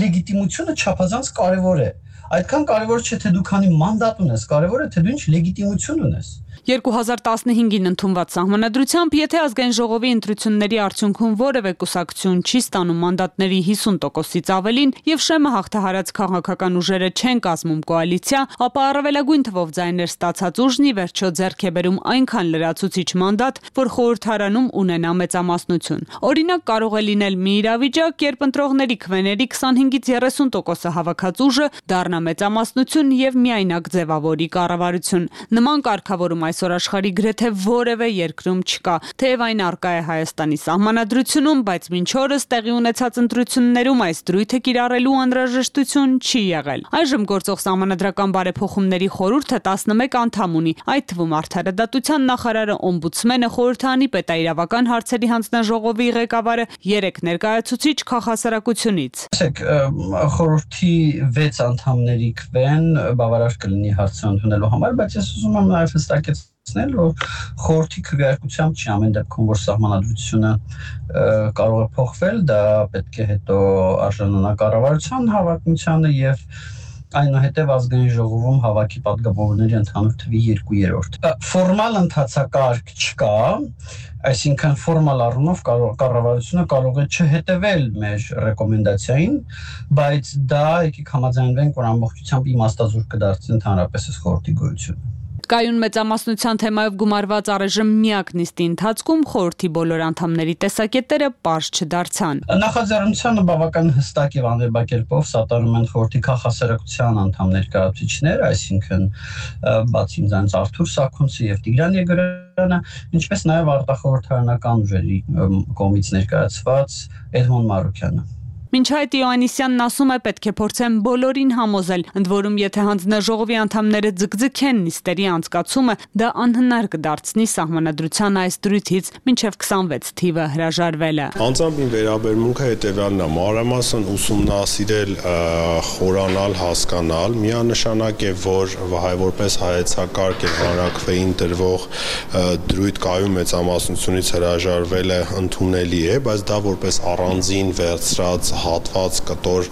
Speaker 15: լեգիտիմությունը չափազանց կարևոր է։ Այդքան կարևոր չէ, թե դու քանի մանդատ ունես, կարևոր է, թե դու ինչ լեգիտիմություն ունես։
Speaker 14: երկու հազար տասնհինգին ընդունված սահմանադրությամբ, եթե ազգային ժողովի ընտրությունների արդյունքում որևէ կուսակցություն չի ստանում մանդատների հիսուն տոկոսից ավելին եւ շեմը հաղթահարած քաղաքական ուժերը չեն կազմում կոալիցիա, ապա առավելագույն թվով ձայներ ստացած ուժն ի վերջո ձեռք է բերում այնքան լրացուցիչ մանդատ, որ խորհրդարանում ունենա մեծամասնություն։ Օրինակ կարող է լինել մի իրավիճակ, երբ ընտրողների քվեների քսանհինգից երեսուն տոկոսը հավաքած ուժը դառնա մեծամասնություն եւ միայնակ ձևավորի կառավարություն։ Նման կարգավորում այսօր աշխարհի գրեթե որևէ երկրում չկա, թեև այն առկա է Հայաստանի սահմանադրությունում, բայց մինչ օրս տեղի ունեցած ընտրություններում այս դրույթը կիրառելու անհրաժեշտություն չի եղել։ Այժմ գործող սահմանադրական բարեփոխումների խորհուրդը տասնմեկ անդամ ունի, այդ թվում արդարադատության նախարարը, օմբուդսմենը, խորհրդանի պետաիրավական հարցերի հանձնաժողովի ղեկավարը, երեք ներկայացուցիչ քաղաքասարակությունից։
Speaker 15: Խորհրդի վեց անդամների քվեն բավարար կլինի հարցը ընդունելու համար, բայց ես ուզում եմ նաև հստակեցնել, որ խորհրդի քվեարկությամբ չի ամեն դեպքում, որ սահմանադրությունը կարող է փոխվել, դա պետք է հետո արժանանա կառավարության հավակնությանը եւ այնուհետև ազգային ժողովում հավաքի պատգամավորների ընդհանուր թվի երկու երրորդ։ Ֆորմալ ընթացակարգ չկա, այսինքն ֆորմալ առումով կառավարությունը կարող է չհետևել մեր ռեկոմենդացիային, բայց դա եկեք համաձայնվենք, որ ամբողջությամբ իմաստազուրկ կդարձնի ընդհանրապես այս խորհրդի գոյությունը։
Speaker 14: Կայուն մեծամասնության թեմայով գումարված առայժմ միակ նիստի ընթացքում խորհրդի բոլոր անդամների տեսակետները պարզ չդարձան։
Speaker 15: Նախաձեռնությանը բավական հստակ եւ անվերբակերպով սատարում են խորհրդի քաղաքասարակության անդամ ներկայացուցիչներ, այսինքն բացի ինձանից Արթուր Սաքունցը եւ Տիգրան Եգորյանը, ինչպես նաեւ արտախորհրդարանական ուժերի կողմից ներկայացված Էդմոն Մարուկյանը։
Speaker 14: Մինչ այդ Իոաննիսյանն ասում է, պետք է փորձեն բոլորին համոզել, ընդ որում եթե հանձնաժողովի անդամները ձգձգեն նիստերի անցկացումը, դա անհնար կդարձնի սահմանադրության այս դրույթից մինչև քսանվեց թիվը հրաժարվելը։
Speaker 16: Անձամբ իմ վերաբերմունքը հետևյալն է՝ մանրամասն ուսումնասիրել, խորանալ, հասկանալ, միանշանակ է, որ որպես հայեցակարգ եւ հանրաքվեին դրվող դրույթ կայուն մեծամասնությունից հրաժարվելը ընդունելի է, բայց դա որպես առանձին վերցրած հատված կտոր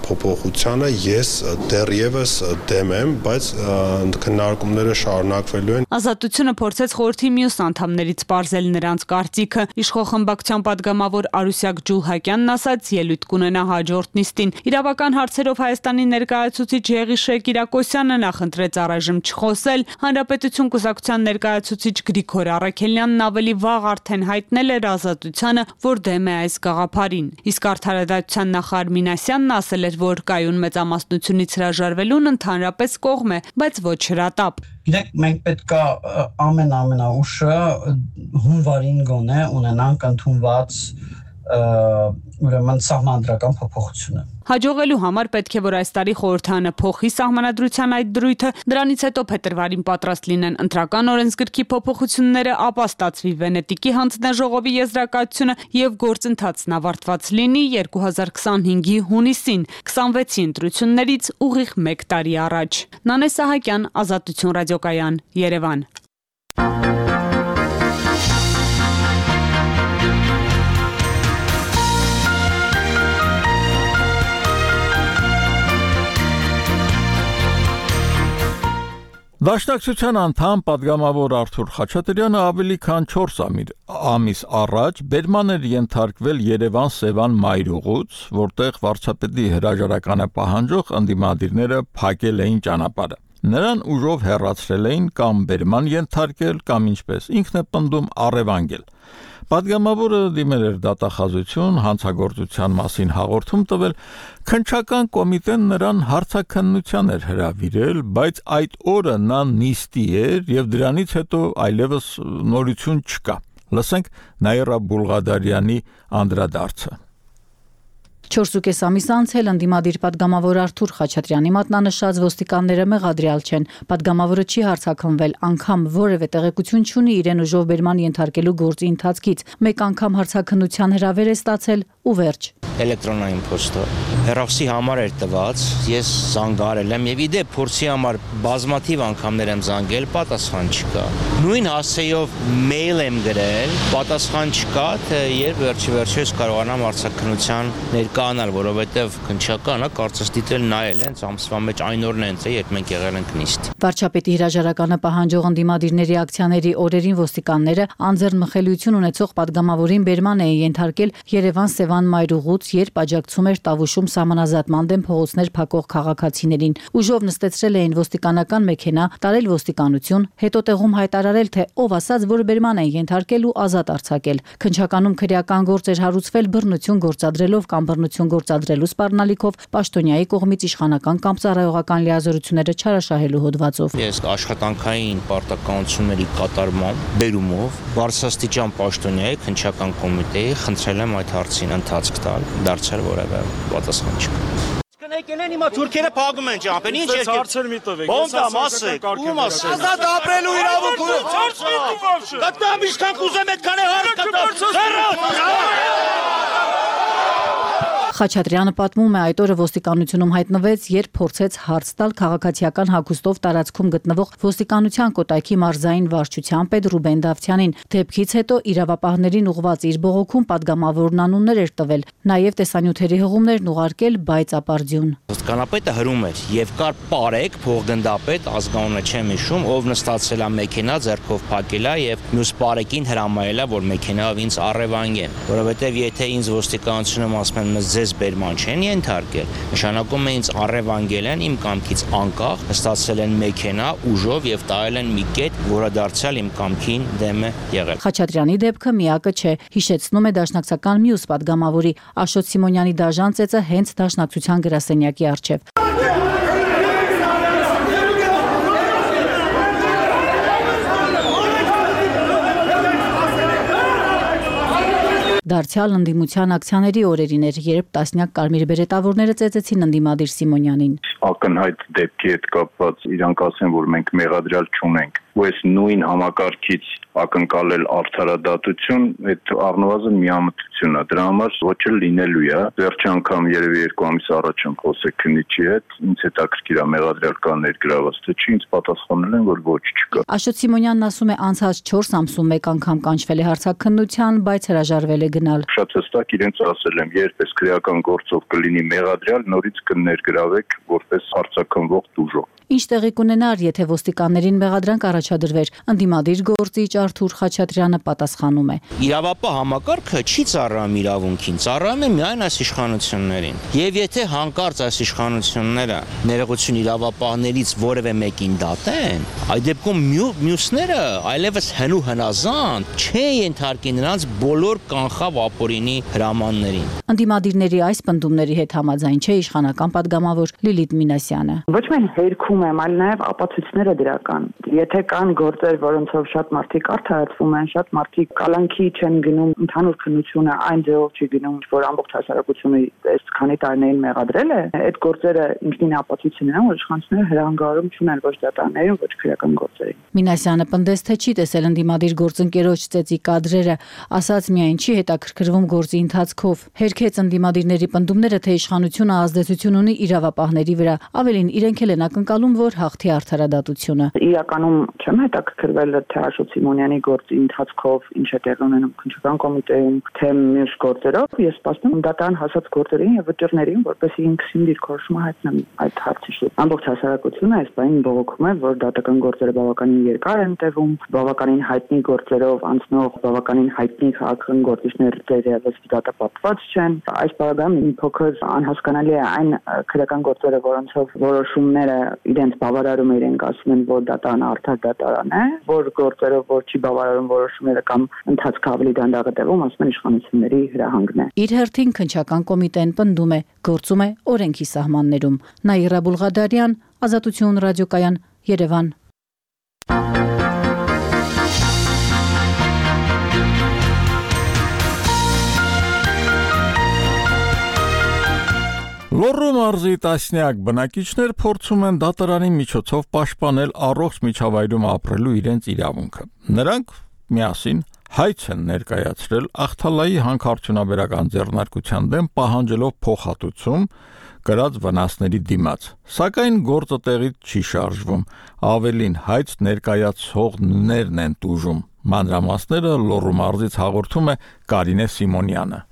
Speaker 16: փոփոխությանը ես դեռևս դեմ եմ, բայց քննարկումները շարունակվելու են։
Speaker 14: Ազատությունը փորձեց խորհրդի մյուս անդամներից պարզել նրանց կարծիքը։ Իշխող խմբակցության падգամավոր Արուսյակ Ջուլհակյանն ասաց, ելույթ կունենա հաջորդ նիստին։ Իրավական հարցերով Հայաստանի ներկայացուցիչ Եղիշե Կիրակոսյանը նախընտրեց առայժմ չխոսել։ Հանրապետություն կուսակցության ներկայացուցիչ Գրիգոր Առաքելյանն ավելի վաղ արդեն հայտնել էր Ազատությանը, որ դեմ է այս գաղափարին։ Իսկ արդարադատության նախարար Մինասյանն ասել էր, որ կայուն մեծամասնությունից հրաժարվելուն ընդհանրապես կողմ է, բայց ոչ հրատապ։
Speaker 15: Գիտեք, մենք պետք է ամեն-ամենաուշը հունվարին գոնե ունենանք ընդունված ուրեմն սահմանադրական փոփոխությունը։
Speaker 14: Հաջողելու համար պետք է որ այս տարի խորհրդանը փոխի սահմանադրության այդ դրույթը, դրանից հետո փետրվարին պատրաստ լինեն ընտրական օրենսգրքի փոփոխությունները, ապա ստացվի Վենետիկի հանձնաժողովի եզրակացությունը եւ գործընթացն ավարտված լինի երկու հազար քսանհինգի հունիսին, քսանվեցի ընտրություններից ուղիղ մեկ տարի առաջ։ Նանե Սահակյան, Ազատություն ռադիոկայան, Երևան։
Speaker 1: Դաշնակցության անդամ падգամավոր Արթուր Խաչատրյանը ավելի քան չորս ամիս առաջ բերման էր ենթարկվել Երևան-Սևան մայրուղուց, որտեղ վարչապետի հրաժարականը պահանջող ընդդիմադիրները փակել էին ճանապարհը։ Նրան ուժով հեռացրել էին կամ բերման ենթարկել, կամ ինչպես ինքն է պնդում առևանգել։ Պատգամավորը դիմել էր դատախազություն, հանցագործության մասին հաղորդում տվել, քննչական կոմիտեն նրան հարցաքննության էր հրավիրել, բայց այդ օրը նա նիստի էր եւ դրանից հետո այլևս նորություն չկա։ Լսենք Նաիրա Բուլղադարյանի անդրադարձը։
Speaker 6: չորսուկես ամիս անց էլ ընդդիմադիր падգամավոր Արթուր Խաչատրյանի մատնանշած ոստիկանները մեղադրյալ չեն։ Падգամավորը չի հարցաքննվել, անգամ որևէ տեղեկություն չունի իրեն ուժով բերման ենթարկելու գործի ընթացքից։ Մեկ անգամ հարցաքննության հրավեր է ստացել ու վերջ։
Speaker 17: Էլեկտրոնային փոստը հեռախոսի համար էր տված, ես զանգարել եմ եւ իդեպ փորձի համար բազմաթիվ անգամներ եմ զանգել, պատասխան չկա։ Նույն հասցեով մեյլ եմ գրել, պատասխան չկա, թե երբ վերջի վերջերս կարողանամ հարցաքննության ներկայանալ, որովհետեւ քննչականը կարծես դիտել նայել են ամսվա մեջ այն օրն են, երբ մենք եղել ենք նիստ։
Speaker 6: Վարչապետի հրաժարականը պահանջող ընդդիմադիրների ակցիաների օրերին ոստիկանները անձեռնմխելիություն ունեցող падգամավորին բերման էին ենթարկել Երևան-Սևան մայրուղուց, երբ աջակցում էր Տավուշում սահմանազատման դեմ փողոցներ փակող քաղաքացիներին։ Ուժով նստեցրել էին ոստիկանական մեքենա, տարել ոստիկանություն, հետո տեղում հայտարարել, թե ով ասաց, որ բերման են ենթարկել ու ազատ արձակել։ Քննչականում քրեական գործ էր հարուցվել բռնություն գործադրելով կամ բռնություն գործադրելու սպառնալիքով պաշտոնյայի կողմից իշխանական կամ ծառայողական լիազորությունները չարաշահելու հոդվածով։
Speaker 17: Ես աշխատանքային պարտականությունների կատարմամբ բերումով բարձրաստիճան պաշտոնյայի քննչական կոմիտեի խնդրել եմ այդ հարցին ընթացք տալ, դարձել որևէ պատասխան չկա։
Speaker 18: Եկել են հիմա թուրքերը փակում են ճամփեն, ինչ եք հարցեր մի տվեք։ Ո՞մ դա մասը, ո՞մ մասը։ Ազատ ապրելու իրավունք ունի։ Կտամ ինչքան կուզեմ այդքան է հարկ կտամ։
Speaker 6: Խաչատրյանը պատմում է, այդ օրը ոստիկանությունում հայտնվեց, երբ փորձեց հարց տալ քաղաքացիական հագուստով տարածքում գտնվող ոստիկանության կոտայքի մարզային վարչության պետ Ռուբեն Դավթյանին։ Դեպքից հետո իրավապահներին ուղղված իր բողոքում падգամավորն անուններ էր տվել, նաև տեսանյութերի հղումներն ուղարկել, բայց ապարդյուն։
Speaker 17: Ոստիկանապետը հրում էր եւ կար Պարեկ փոխգնդապետ, ազգանունը չեմ հիշում, ով նստացել է մեքենա, ձեռքով փակել է եւ մյուս Պարեկին հրամայել է, որ մեքենայով ինձ առևանգեն, որովհետեւ եթե ինձ ոստիկանությունում ասում են մեզ բերման չեն ենթարկել, նշանակում է ինձ առևանգել են իմ կամքից անկախ, նստացել են մեքենա ուժով եւ տայել են մի կետ, որը դարձյալ իմ կամքին դեմ է եղել։
Speaker 6: Խաչատրյանի դեպքը միակը չէ, հիշեցնում է դաշնակցական մյուս падգամավորի Աշոտ Սիմոնյանի դաժան ծեծը հենց դաշնակցության գրասենյակի առջև։ Դարձյալ ընդդիմության ակցիաների օրերին էր, երբ տասնյակ կարմիր բերետավորները ծեծեցին ընդդիմադիր Սիմոնյանին։
Speaker 19: Ակնհայտ դեպքի հետ կապված իրանք ասեն, որ մենք մեղադրյալ չունենք, ու այս նույն համակարգից ակնկալել արդարադատություն, այդ առնվազն միամտություն է, դրա համար ոչ էլ լինելու է։ Վերջի անգամ երևի երկու ամիս առաջ եմ խոսել քննիչի հետ, ինձ հետաքրքիր է մեղադրյալ կա ներգրաված, թե չի, ինձ պատասխանել են, որ ոչ չկա։
Speaker 6: Աշոտ Սիմոնյանն ասում է, անցած չորս ամսում մեկ անգամ կանչվել է հարցաքննության, բայց հրաժարվել է գնալ։
Speaker 19: Շատ հստակ իրենց ասել եմ, երբ այս քրեական գործով կլինի մեղադրյալ, նորից կներգրավեք որպես հարցաքննվող դուժող։
Speaker 6: Ինչ տեղի կունենար, եթե ոստիկաններին մեղադրանք առաջադրվեր, ընդդիմադիր գործիչ Արթուր Խաչատրյանը պատասխանում է։
Speaker 17: Իրավապահ համակարգը չի ծառայում իրավունքին, ծառայում է միայն այս իշխանություններին։ Եվ եթե հանկարծ այս իշխանությունները ներողություն իրավապահներից որևէ մեկին դատեն, այդ դեպքում մյուսները այլևս հնու հնազանդ չեն ենթարկի նրանց բոլոր կանխավ ապօրինի հրամաններին։
Speaker 6: Ընդդիմադիրների այս պնդումների հետ համաձայն չէ իշխանական падգամավոր Լիլիթ Մինասյանը։
Speaker 20: Ոչ միայն հերքում եմ, այլ նաև ապացույցները դրական։ Եթե կան գործեր, որոնցով շատ մարդիկ արդարացվում են, շատ մարդիկ կալանքի չեն գնում, ընդհանուր քննությունը այն ձևով չի գնում, որ ամբողջ հասարակությունը այս քանի տարիներին մեղադրել է, այդ գործերը ինքնին ապացույց են, որ իշխանությունները հրանգարում չունեն ոչ դատարաններին, ոչ քրեական գործերին։
Speaker 6: Մինասյանը պնդեց, թե չի տեսել ընդդիմադիր գործընկերոջ ծեծի կադրերը, ասաց միայն չի հետաքրքրվում գործի ընթացքով։ Հերքեց ընդդիմադիրների պնդումները, թե իշխանությունը ազդեցություն ունի իրավապահների վրա, ավելին իրենք էլ են ակնկալում, որ հաղթի արդարադատությունը։
Speaker 20: Իրականում չեմ հետաքրքրվել թե Աշոտ Սիմոնյանի գործի ընթացքով ինչ է տեղի ունենում քննչական կոմիտեում, թե մյուս գործերով, ես սպասում եմ դատարան հասած գործերին եւ վճռներին, որպեսզի ինքս իմ դիրքորոշումը հայտնեմ այդ հարցի շուրջ։ Ամբողջ հասարակությունը այս բանին բողոքում է, որ դատական գործերը բավականին երկար են տևում, բավականին հայտնի գործերով անցնող բավականին հայտնի քաղաքական գործիչներ դերևս դատապարտված չեն։ Այս բաղադրամը մի փոքր անհասկանալի է այն քրեական գործերը, որոնցով որոշումները իրենց բավարարում իրենք ասում են, որ դատարանը արդար դատարան է, որ գործերով որ չի բավարարում որոշումները կամ ընթացքը ավելի դանդաղ է տևում, ասում են իշխանությունների հրահանգն է։
Speaker 6: Իր հերթին քննչական կոմիտեն պնդում է, գործում է օրենքի սահմաններում։ Նաիրա Բուլղադարյան, Ազատություն ռադիոկայան, Երևան։
Speaker 1: Լոռու մարզի տասնյակ բնակիչներ փորձում են դատարանի միջոցով պաշտպանել առողջ միջավայրում ապրելու իրենց իրավունքը։ Նրանք միասին հայց են ներկայացրել Ախթալայի հանքարդյունաբերական ձեռնարկության դեմ պահանջելով փոխհատուցում կրած վնասների դիմաց, սակայն գործը տեղից չի շարժվում, ավելին հայց ներկայացողներն են տուժում։ Մանրամասները Լոռու մարզից հաղորդում է Կարինե Սիմոնյանը։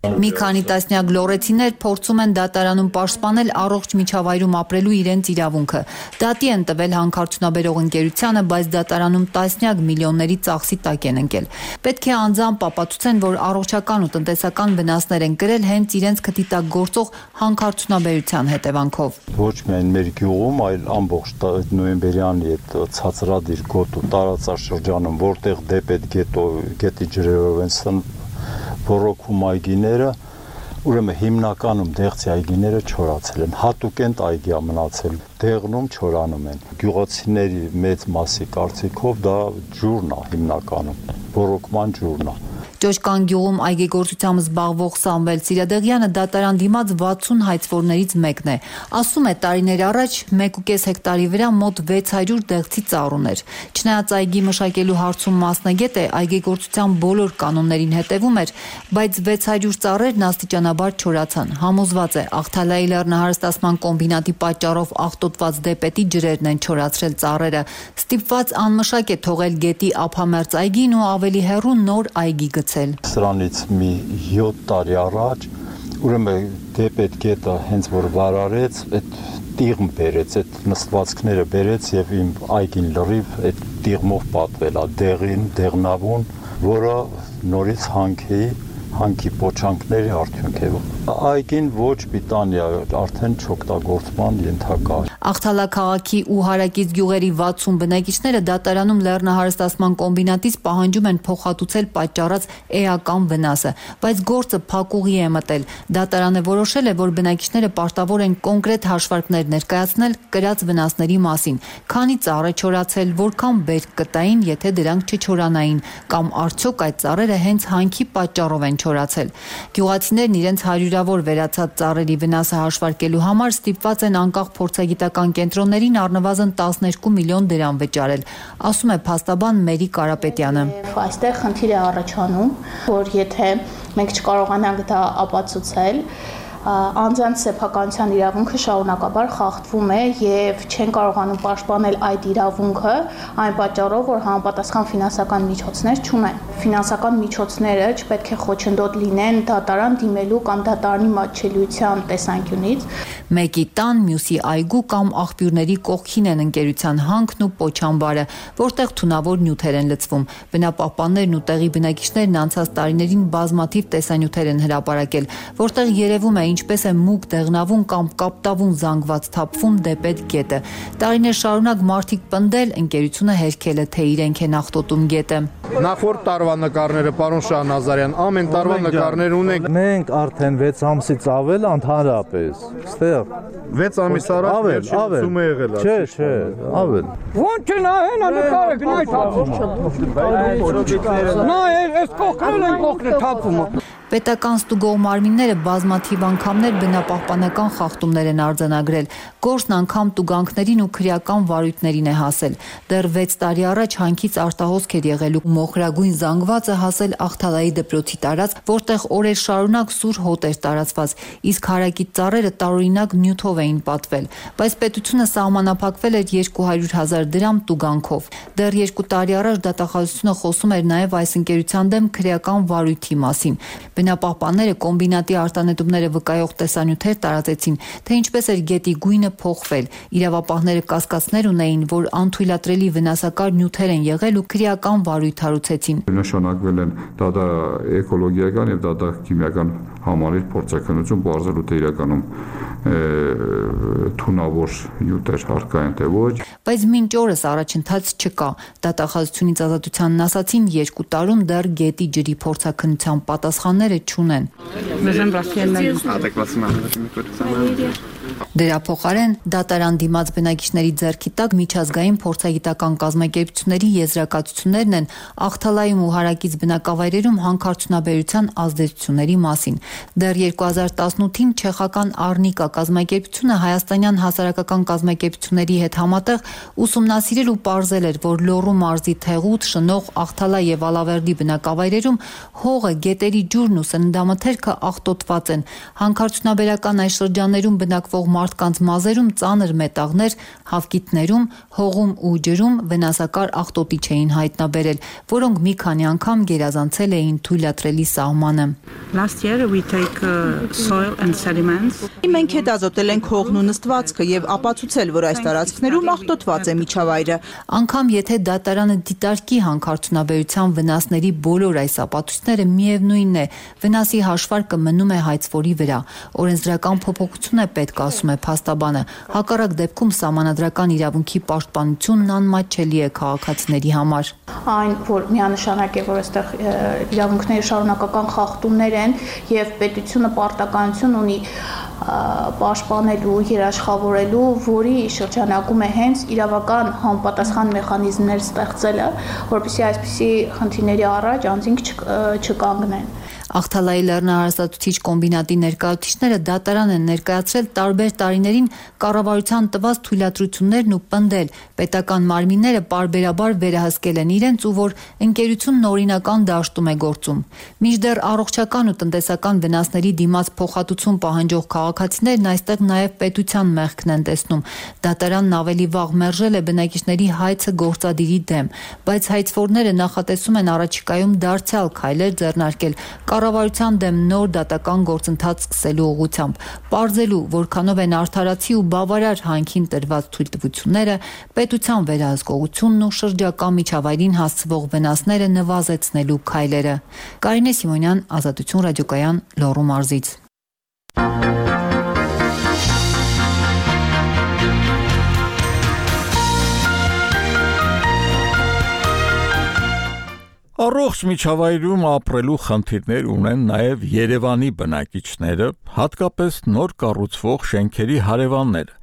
Speaker 6: Մի քանի տասնյակ լոռեցիներ փորձում են դատարանում պաշտպանել առողջ միջավայրում ապրելու իրենց իրավունքը։ Դատի են տվել հանքարդյունաբերող ընկերությանը, բայց դատարանում տասնյակ միլիոնների ծախսի տակ են ընկել։ Պետք է անձամբ ապացուցեն, որ առողջական ու տնտեսական վնասներ են կրել հենց իրենց քթի տակ գործող հանքարդյունաբերության հետևանքով։
Speaker 21: Ոչ միայն մեր գյուղում, այլ ամբողջ նոյեմբերյանի այդ ցածրադիր գոտու տարածաշրջանում, որտեղ դեպետ գետո գետի ջրերով են բորոքում այգիները, ուրեմն հիմնականում դեղցի այգիները չորացել են, հատուկենտ այգի մնացել, դեղնում չորանում են։ Գյուղացիների մեծ մասի կարծիքով դա ջուրն է հիմնականում, բորոքման ջուրն է։
Speaker 6: Ճոճկան գյուղում այգեգործությամբ զբաղվող Սամվել Սիրադեղյանը դատարան դիմաց վաթսուն հայցվորներից մեկն է։ Ասում է, տարիներ առաջ մեկ ու կես հեկտարի վրա մոտ վեց հարյուր դեղցի ծառ ուներ։ Չնայած այգի մշակելու հարցում մասնագետ է, այգեգործության բոլոր կանոններին հետևում էր, բայց վեց հարյուր ծառերն աստիճանաբար չորացան։ Համոզված է, Ախթալայի լեռնահարստացման կոմբինատի պատճառով աղտոտված դեպետի ջրերն են չորացրել ծառերը։ Ստիպված անմշակ է թողել գետի ափամերձ այգին ու ավելի հեռու նոր այգի գցել։
Speaker 21: Սրանից մի յոթ տարի առաջ ուրեմն դեպետ գետը հենց որ վարարեց, այդ տիղմ բերեց, այդ նստվածքները բերեց եւ իմ այգին լրիվ այդ տիղմով պատվել է, դեղին, դեղնավուն, որը նորից հանքեի հանքի փոչանքների արդյունք է։ Այգին ոչ պիտանի է, արդեն չօգտագործման ենթակա է։
Speaker 6: Ախթալա քաղաքի ու հարակից գյուղերի վաթսուն բնակիչները դատարանում լեռնահարստացման կոմբինատից պահանջում են փոխհատուցել պատճառած էական վնասը, բայց գործը փակուղի է մտել։ Դատարանը որոշել է, որ բնակիչները պարտավոր են կոնկրետ հաշվարկներ ներկայացնել կրած վնասների մասին, քանի ծառ է չորացել, որքան բերք կտային, եթե դրանք չչորանային, կամ արդյոք այդ ծառերը հենց հանքի պատճառով են չորացել։ Գյուղացիներն իրենց հարյուրավոր վերացած ծառերի վնասը հաշվարկելու համար ստիպված են անկախ փորձագիտական կենտրոններին առնվազն տասներկու միլիոն դրամ վճարել, ասում է փաստաբան Մերի Կարապետյանը։
Speaker 22: Այստեղ խնդիր է առաջանում, որ եթե մենք չկարողանանք դա ապացուցել, անձանց սեփականության իրավունքը շարունակաբար խախտվում է եւ չեն կարողանում պաշտպանել այդ իրավունքը այն պատճառով, որ համապատասխան ֆինանսական միջոցներ չունեն։ Ֆինանսական միջոցները չպետք է խոչընդոտ լինեն դատարան դիմելու կամ դատարանի մատչելիության տեսանկյունից։
Speaker 6: Մեկի տան, մյուսի այգու կամ աղբյուրների կողքին են ընկերության հանքն ու պոչամբարը, որտեղ թունավոր նյութեր են լցվում։ Բնապահպաններն ու տեղի բնակիչներն անցած տարիներին բազմաթիվ տեսանյութեր են հրապարակել, որտեղ երևում է ինչպես է մուգ դեղնավուն կամ կապտավուն զանգված թափվում դեպետ գետը։ Տարիներ շարունակ մարդիկ պնդել, ընկերությունը հերքել է, թե իրենք են աղտոտում գետը։
Speaker 23: Նախորդ տարվա նկարները, պարոն Շահնազարյան, ամեն տարվա նկարներ ունենք։
Speaker 24: Մենք արդեն վեց ամսից ավել ընդհանրապես, ստեղ
Speaker 23: վեց ամիս առաջ վերջինացումը եղել է։
Speaker 24: Չէ, չէ, ավել։
Speaker 25: Ոնց նայեն, նկարը գնայ թափում։ Նա այս կողքն են կողքն թափում։
Speaker 2: Պետական ստուգող մարմինները բազմաթիվ անգամներ բնապահպանական խախտումներ են արձանագրել, գործն անգամ տուգանքներին ու քրեական վարույթներին է հասել։ Դեռ վեց տարի առաջ հանքից արտահոսք էր եղել ու մոխրագույն զանգվածը հասել Ախթալայի դպրոցի տարածք, որտեղ օրեր շարունակ սուր հոտ էր տարածված, իսկ հարակից ծառերը տարօրինակ նյութով էին պատվել, բայց պետությունը սահմանափակվել էր երկու հարյուր հազար դրամ տուգանքով։ Դեռ երկու տարի առաջ դատախազությունը խոսում էր նաև այս ընկերության դեմ քրեական վարույթի մասին։ Բնապահպանները կոմբինատի արտանետումները վկայող տեսանյութեր տարածեցին, թե ինչպես էր գետի գույնը փոխվել։ Իրավապահները կասկածներ ունեին, որ անթույլատրելի վնասակար նյութեր են եղել ու քրեական վարույթ հարուցեցին։
Speaker 4: Նշանակվել են դատա էկոլոգիական եւ դատա քիմիական համալիր փորձաքննություն, բարձրու թե իրականում թունավոր նյութեր հարկային թե ոչ։
Speaker 2: Բայց մինչ օրս առաջընթաց չկա։ Դատախազությունից ազատությանն ասացին երկու տարում դեռ գետի ջրի փորձաքննության պատասխանները չունեն։ Դրա փոխարեն դատարան դիմաց բնակիչների ձեռքի տակ միջազգային փորձագիտական կազմակերպությունների եզրակացություններն են Ախթալայում ու հարակից բնակավայրերում հանքարդյունաբերության ազդեցությունների մասին։ Դեռ երկու հազար տասնութին չեխական Արնիկա կազմակերպությունը հայաստանյան հասարակական կազմակերպությունների հետ համատեղ ուսումնասիրել ու պարզել էր, որ Լոռու մարզի Թեղուտ, Շնող, Ախթալա եւ Ալավերդի բնակավայրերում հողը, գետերի ջուրն ու սննդամթերքը աղտոտված են։ Հանքարդյունաբերական այս շրջաններում բնակվող մարդկանց մազերում ծանր մետաղներ, հավկիթներում, հողում ու ջրում վնասակար աղտոտիչ էին հայտնաբերել, որոնք մի քանի անգամ գերազանցել էին թույլատրելի սահմանը։
Speaker 5: Մենք հետազոտել ենք հողն ու նստվածքը եւ ապացուցել, որ այս տարածքներում աղտոտված է միջավայրը։
Speaker 2: Անգամ եթե դատարանը դիտարկի հանքարդյունաբերության վնասների բոլոր այս ապացույցները, միևնույնն է, վնասի հաշվարկը մնում է հայցվորի վրա։ Օրենսդրական փոփոխություն է պետք, ասում է փաստաբանը։ Հակառակ դեպքում սահմանադրական իրավունքի պաշտպանությունն անմատչելի է քաղաքացիների համար։
Speaker 22: Այն, որ միանշանակ է, որ այստեղ իրավունքների շարունակական խախտումներ են եւ պետությունը պարտականություն ունի պաշտպանելու, երաշխավորելու, որի շրջանակում է հենց իրավական համապատասխան մեխանիզմներ ստեղծելը, որպեսզի այսպիսի խնդիրների առաջ անձինք չկանգնեն։
Speaker 2: Ախթալայի լեռնահարստացուցիչ կոմբինատի ներկայացուցիչները դատարան են ներկայացրել տարբեր տարիներին կառավարության տված թույլատրություններն ու պնդել պետական մարմինները պարբերաբար վերահսկել են իրենց ու որ ընկերությունն օրինական դաշտում է գործում։ Մինչդեռ առողջական ու տնտեսական վնասների դիմաց փոխհատուցում պահանջող քաղաքացիներն այստեղ նաև պետության մեղքն են տեսնում։ Դատարանն ավելի վաղ մերժել է բնակիչների հայցը գործադիրի դեմ, բայց հայցվորները նախատեսում են առաջիկայում դարձյալ քայլեր ձեռնարկել կառավարության դեմ նոր դատական գործընթաց սկսելու ուղղությամբ, պարզելու, որքանով են արդարացի ու բավարար հանքին տրված թույլտվությունները, պետության վերահսկողությունն ու շրջակա միջավայրին հասցվող վնասները նվազեցնելու քայլերը։ Կարինե Սիմոնյան, Ազատություն ռադիոկայան, Լոռու մարզից։
Speaker 1: Առողջ միջավայրում ապրելու խնդիրներ ունեն նաև Երևանի բնակիչները, հատկապես նոր կառուցվող շենքերի հարևանները։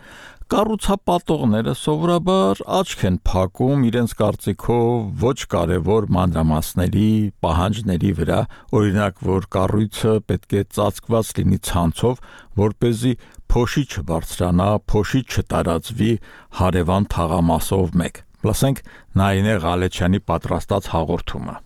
Speaker 1: Կառուցապատողները սովորաբար աչք են փակում իրենց կարծիքով ոչ կարևոր մանրամասների, պահանջների վրա, օրինակ, որ կառույցը պետք է ծածկված լինի ցանցով, որպեսզի փոշի չբարձրանա, փոշի չտարածվի հարևան թաղամասով մեկ։ Լսենք Նայինե Ղալեչյանի պատրաստած հաղորդումը։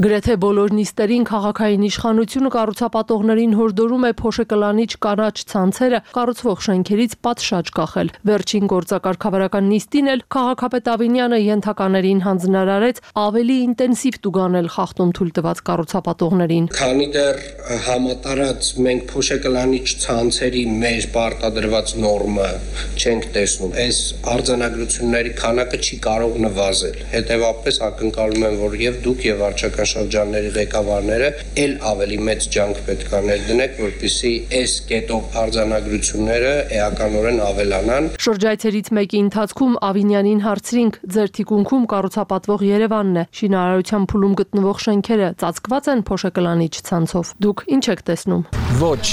Speaker 8: Գրեթե բոլոր նիստերին քաղաքային իշխանությունը կառուցապատողներին հորդորում է փոշեկլանիչ կանաչ ցանցերը կառուցվող շենքերից պատշաճ կախել։ Վերջին գործակարգավարական նիստին էլ քաղաքապետ Ավինյանը ենթականերին հանձնարարեց ավելի ինտենսիվ տուգանել խախտում թույլ տված կառուցապատողներին։
Speaker 9: Քանի դեռ համատարած մենք փոշեկլանիչ ցանցերի մեր պարտադրված նորմը չենք տեսնում, այս արձանագրությունների քանակը չի կարող նվազել։ Հետևաբար ակնկալում եմ, որ եւ դուք եւ վարչական շրջանների ղեկավարները ել ավելի մեծ ջանք պետք է ներդնեք, որպեսզի այս կետով արձանագրությունները էականորեն ավելանան։
Speaker 8: Շրջայցերից մեկի ընթացքում Ավինյանին հարցրինք, ձեր թիկունքում կառուցապատվող Երևանն է, շինարարության փուլում գտնվող շենքերը ծածկված են փոշեկլանիչ ցանցով։ Դուք ինչ եք տեսնում։
Speaker 26: Ոչ,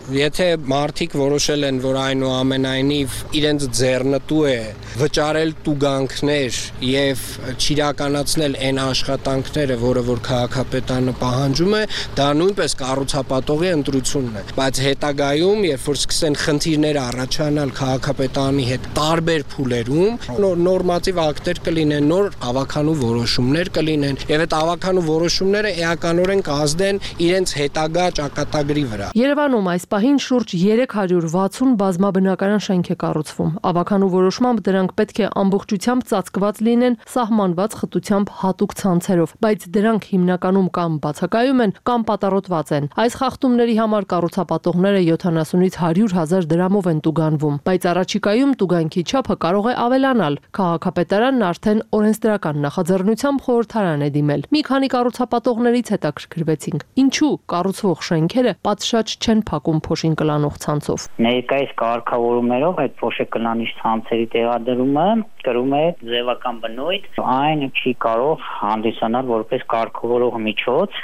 Speaker 9: Եթե մարդիկ որոշել են, որ այնուամենայնիվ իրենց ձեռնտու է վճարել տուգանքներ եւ չիրականացնել այն աշխատանքները, որը որ քաղաքապետարանը պահանջում է, դա նույնպես կառուցապատողի ընտրությունն է։ Բայց հետագայում, երբ որ սկսեն խնդիրներ առաջանալ քաղաքապետարանի հետ տարբեր փուլերում, նոր նորմատիվ ակտեր կլինեն, նոր ավականու որոշումներ կլինեն եւ այդ ավականու որոշումները էականորեն կազդեն իրենց հետագա ճակատագրի վրա։
Speaker 8: Երևանում այս պահին շուրջ երեք հարյուր վաթսուն բազմաբնակարան շենք է կառուցվում։ Ավականու որոշմամբ դրանք պետք է ամբողջությամբ ծածկված լինեն սահմանված խտությամբ հատուկ ցանցերով, բայց դրանք հիմնականում կամ բացակայում են, կամ պատառոտված են։ Այս խախտումների համար կառուցապատողները յոթանասունից հարյուր հազար դրամով են տուգանվում, բայց առաջիկայում տուգանքի չափը կարող է ավելանալ։ Քաղաքապետարանն արդեն օրենսդրական նախաձեռնությամբ խորհրդարան է դիմել։ Մի քանի կառուցապատողներից հետաքրքրվեցինք, ինչու կառուցվող շենքերը պատշաճ չեն փակում փոշին կլանող ցանցով։
Speaker 3: Ներկայիս կարգավորումներով այդ փոշեկլանիչ ցանցերի տեղադրումը կրում է ձևական բնույթ, այն չի կարող հանդիսանալ որպես կարգավորող միջոց։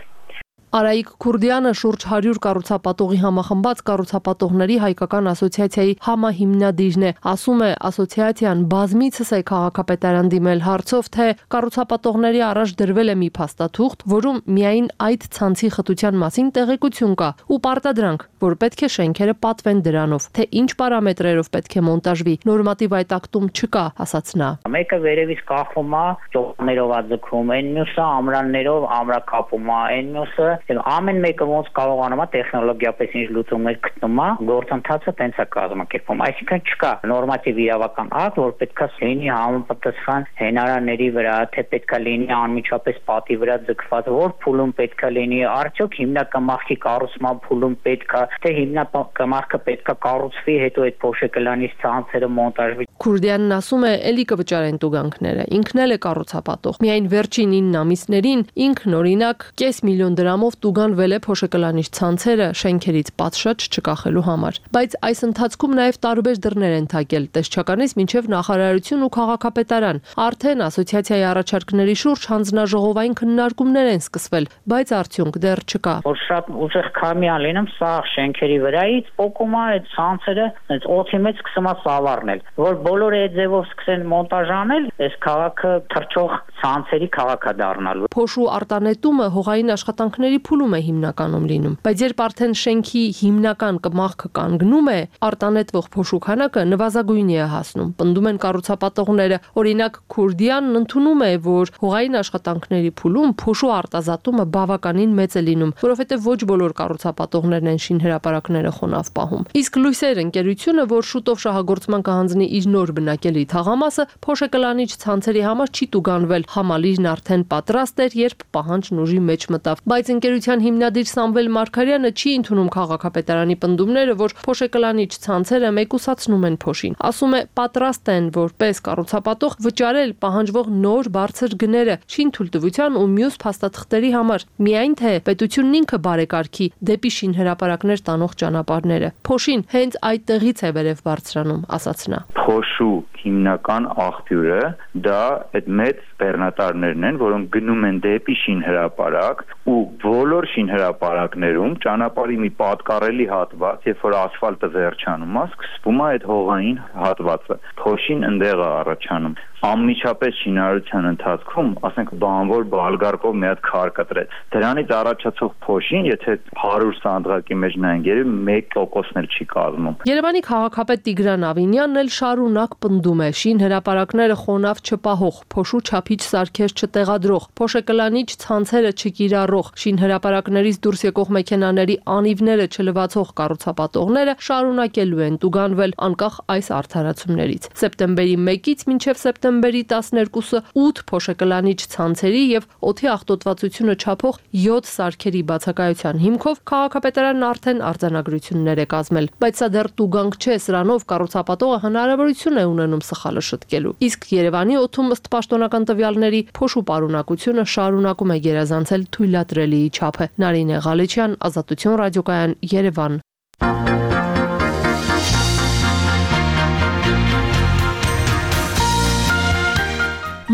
Speaker 8: Արայիկ Քուրդյանը շուրջ հարյուր կառուցապատողի համախմբած կառուցապատողների հայկական ասոցիացիայի համահիմնադիրն է, ասում է ասոցիացիան բազմիցս է քաղաքապետարան դիմել հարցով, թե կառուցապատողների առաջ դրվել է մի փաստաթուղթ, որում միայն այդ ցանցի խտության մասին տեղեկություն կա ու պարտադրանք, որ պետք է շենքերը պատվեն դրանով, թե ինչ պարամետրերով պետք է մոնտաժվի, նորմատիվ այդ ակտում չկա, ասաց նա։
Speaker 3: Մեկը վերևից կախվում է, ճոպներով աձգվում, այն մյուսը ամրաններով ամրակապում է, այն մյուսը ամեն մեկը ոնց կարողանում է տեխնոլոգիապես ինչ լուծումներ գտնում է, գործընթացը տենց է կազմակերպվում, այսինքն չկա նորմատիվ իրավական ակտ, որ պետքա լինի համապատասխան հենարանների վրա, թե պետքա լինի անմիջապես պատի վրա ձգված, որ փուլում պետքա լինի, արդյոք հիմնակամախքի կառուցման փուլում պետքա, թե հիմնակամախքը պետքա կառուցվի, հետո այդ փոշեկլանիչ ցանցերը մոնտաժվի։
Speaker 8: Քուրդյանն ասում է, էլի կվճարեն տուգանքները, ինքն էլ է կառուցապատող։ Միայն վերջին ինը ամիսներին ինքն օրինակ կես միլիոն դրամով տուգանվել է փոշեկլանիչ ցանցերը շենքերից պատշաճ չկախելու համար։ Բայց այս ընթացքում նաև տարբեր դռներ են թակել, տեսչականից մինչև նախարարություն ու քաղաքապետարան։ Արդեն ասոցիացիայի առաջարկների շուրջ հանձնաժողովային քննարկումներ են սկսվել, բայց արդյունք դեռ չկա։
Speaker 3: Որ շատ ուժեղ քամիան լինում սա շենքերի վրայից փոկում է այդ ցանցերը, այդ օդի մեջ սկսում է սավառնել, որ բոլորը այդ ձևով սկսեն մոնտաժ անել, այս քաղաքը թռչող ցանցերի քաղաք է դառնալու։
Speaker 8: Փոշու արտանետումը հողային աշխատանքների փուլում է հիմնականում լինում, բայց երբ արդեն շենքի հիմնական կմախքը կանգնում է, արտանետվող փոշու քանակը նվազագույնի է հասնում։ Պնդում են կառուցապատողները, օրինակ Քուրդյանն ընդունում է, որ հողային աշխատանքների փուլում փոշու արտազատումը բավականին մեծ է լինում, որովհետև ոչ բոլոր կառուցապատողներն են շինհրապարակները խոնավ պահում։ Իսկ Լույսեր ընկերությունը, որ շուտով շահագործման կհանձնի իր նոր բնակելի թաղամասը, փոշեկլանիչ ցանցերի համար չի տուգանվել, համալիրն արդեն պատրաստ էր, երբ պահանջն ուժի մեջ մտավ։ Բայց ընկերության հիմնադիր Սամվել Մարգարյանը չի ընդունում քաղաքապետարանի պնդումները, որ փոշեկլանիչ ցանցերը մեկուսացնում են փոշին։ Ասում է, պատրաստ են որպես կառուցապատող վճարել պահանջվող նոր բարձր գները շինթույլտվության ու մյուս փաստաթղթերի համար, միայն թե պետությունն ինքը բարեկարգի դեպի շինհրապարակներ տանող ճանապարհները։ Փոշին հենց այդտեղից է վերև բարձրանում, ասաց նա։
Speaker 7: Փոշու հիմնական աղբյուրը դա այդ մեծ բեռնատարներն են, որոնք գնում են դեպի շինհրապարակ ու բոլոր շինհրապարակներում ճանապարհի մի պատկառելի հատված, երբ որ ասֆալտը վերջանում է, սկսվում է այդ հողային հատվածը։ Փոշին ընդեղ է առաջանում։ Անմիջապես շինարարության ընթացքում, ասենք բանվոր բալգարկով մի հատ քար կտրեց։ Դրանից առաջացող փոշին, եթե հարյուր սանդղակի մեջ նայենք, մեկ տոկոսն էլ չի կազմում։
Speaker 8: Երևանի քաղաքապետ Տիգրան Ավինյանն էլ շարունակ պնդում է, շինհրապարակները խոնավ չպահող, փոշու չափիչ սարքեր չտեղադրող, փոշեկլանիչ ցանցերը չկիրառող, շինհրապարակներից դուրս եկող մեքենաների անիվները չլվացող կառուցապատողները շարունակելու են տուգանվել անկախ այս արդարացումներից։ Սեպտեմբերի մեկից մինչև սեպտեմբերի տասներկուսը ութ փոշեկլանիչ ցանցերի եւ օդի աղտոտվածությունը չափող յոթ սարքերի բացակայության հիմքով քաղաքապետարանն արդեն արձանագրություններ է կազմել, բայց սա դեռ տուգանք չէ, սրանով կառուցապատողը հնարավորություն է ունենում սխալը շտկելու։ Իսկ Երևանի օդում ըստ պաշտոնական տվյալների փոշու պարունակությունը շարունակում է գերազանցել թույլատրելիի չափը։ Նարինե Ղալեչյան, Ազատություն ռադիոկայան, Երևան։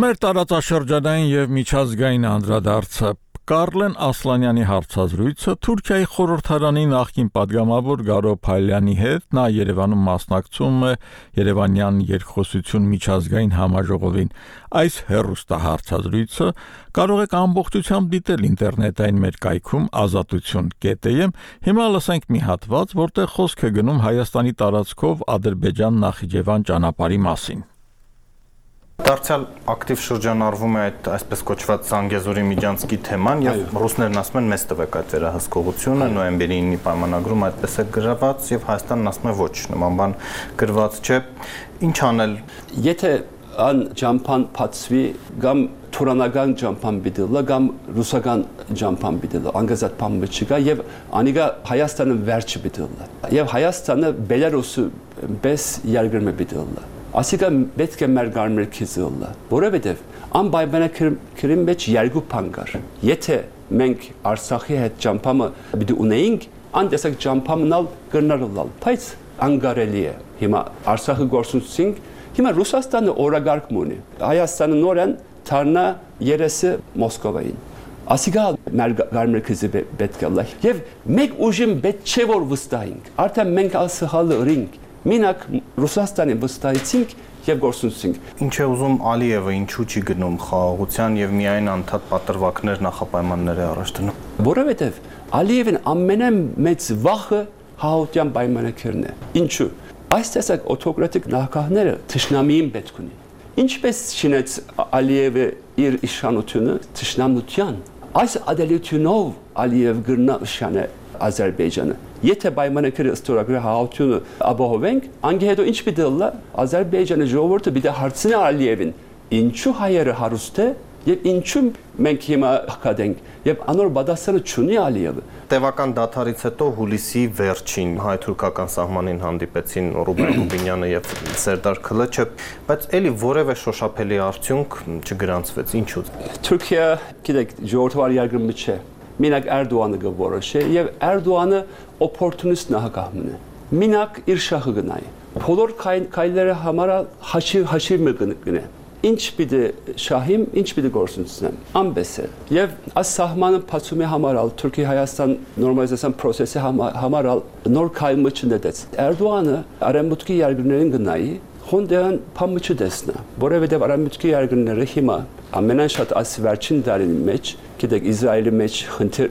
Speaker 1: Մեր տարածաշրջանային եւ միջազգային անդրադարձը Կարլեն Ասլանյանի հարցազրույցը Թուրքիայի խորհրդարանի նախկին падգամավոր Գարո Փայլյանի հետ նա Երևանում մասնակցում է Երևանյան երկխոսություն միջազգային համաժողովին։ Այս հեռուստահարցազրույցը կարող եք ամբողջությամբ դիտել ինտերնետային մեր կայքում ազատություն կետ է եմ։ Հիմա լսենք մի հատված, որտեղ խոսք է գնում Հայաստանի տարածքով Ադրբեջան-Նախիջևան ճանապարհի մասին։
Speaker 10: Դարձյալ ակտիվ շրջանառվում է այդ այսպես կոչված Զանգեզուրի միջանցքի թեման եւ ռուսներն ասում են մեզ տվեք այդ վերահսկողությունը նոյեմբերի ինը պայմանագրում այդպես է գրված եւ Հայաստանն ասում է ոչ նման բան գրված չէ ինչ անել
Speaker 11: եթե ան ջամփան փածվի կամ թուրանական ջամփան բիդելը կամ ռուսական ջամփան բիդելը անգազատ բան չկա եւ անիգա Հայաստանը վերջը բիդելը եւ Հայաստանը Բելարուսը բես երկրում է բիդելը Ասիկա պետք է մեր գարմեր քիզելը, որովհետև անպայմանական մեջ երկու բան կար։ Եթե մենք Արցախի հետ ճամփամը պիտի ունեինք, անտեսակ ճամփամնալ կրնալալ, բայց անկարելի է։ Հիմա Արցախը գործունեինք, հիմա Ռուսաստանը օրագարկ ունի։ Հայաստանը նորեն թարնա երեսը Մոսկովային։ Ասիկա մեր գարմեր քիզը պետք է լա։ Եվ մեկ ուժին պետք չէ որ վստահենք։ Արդեն մենք ասհալը ռինգ Մինակ Ռուսաստանի վստահեցինք եւ գործունեինք։
Speaker 10: Ինչ է ուզում Ալիևը, ինչու չի գնում խաղաղության եւ միայն անդադ պատրվակներ նախապայմաններ է առաջ դնում։
Speaker 11: Որովհետեւ Ալիևն ամենամեծ վախը հաղորդյան պայմաններն է։ Ինչու։ Այս տեսակ օտոկրատիկ նախագահները թշնամիին պետք ունի։ Ինչպես շինեց Ալիևը իր իշխանությունը թշնամության։ Այս ադելությունով Ալիև գրնա շանը Ադրբեջանը։ Եթե պայմանագրի ստորագրի հաղորդությունը ապահովենք, անգե հետո ինչ պիտի լա Ադրբեջանի ժողովուրդը պիտի հարցնի Ալիևին, ինչու հայերը հարուստ է եւ ինչու մենք հիմա հակադենք եւ անոր պատասխանը չունի Ալիևը։
Speaker 10: Տևական դադարից հետո հուլիսի վերջին հայ-թուրքական սահմանին հանդիպեցին Ռուբեն Ռուբինյանը եւ Սերդար Քլիչը, բայց էլի որևէ շոշափելի արդյունք չգրանցվեց։ Ինչու։
Speaker 11: Թուրքիա, գիտեք, ժողովրդավար երկրը չէ։ Մինակ Էրդողանը գորոշե եւ Էրդողանը օպորտունիստ նախագահն է։ Մինակ իր շահը գնայ։ Բոլոր քայլերը համար հաշիվ հաշիվ մգնե։ Ինչ պիտի շահիմ, ինչ պիտի գործունեեմ։ Ամբես է։ Եվ այս սահմանը փացումի համարալ Թուրքի-Հայաստան նորմալիզացիան process-ի համարալ նոր քայլ մտցնեց։ Էրդողանը արեմուտքի երկրներին գնայի Հոնդեան փամը չդեսնա, որովհետև արամուտքի երկրները հիմա ամենաշատ այս վերջին տարին մեջ, գիտեք Իսրայելի մեջ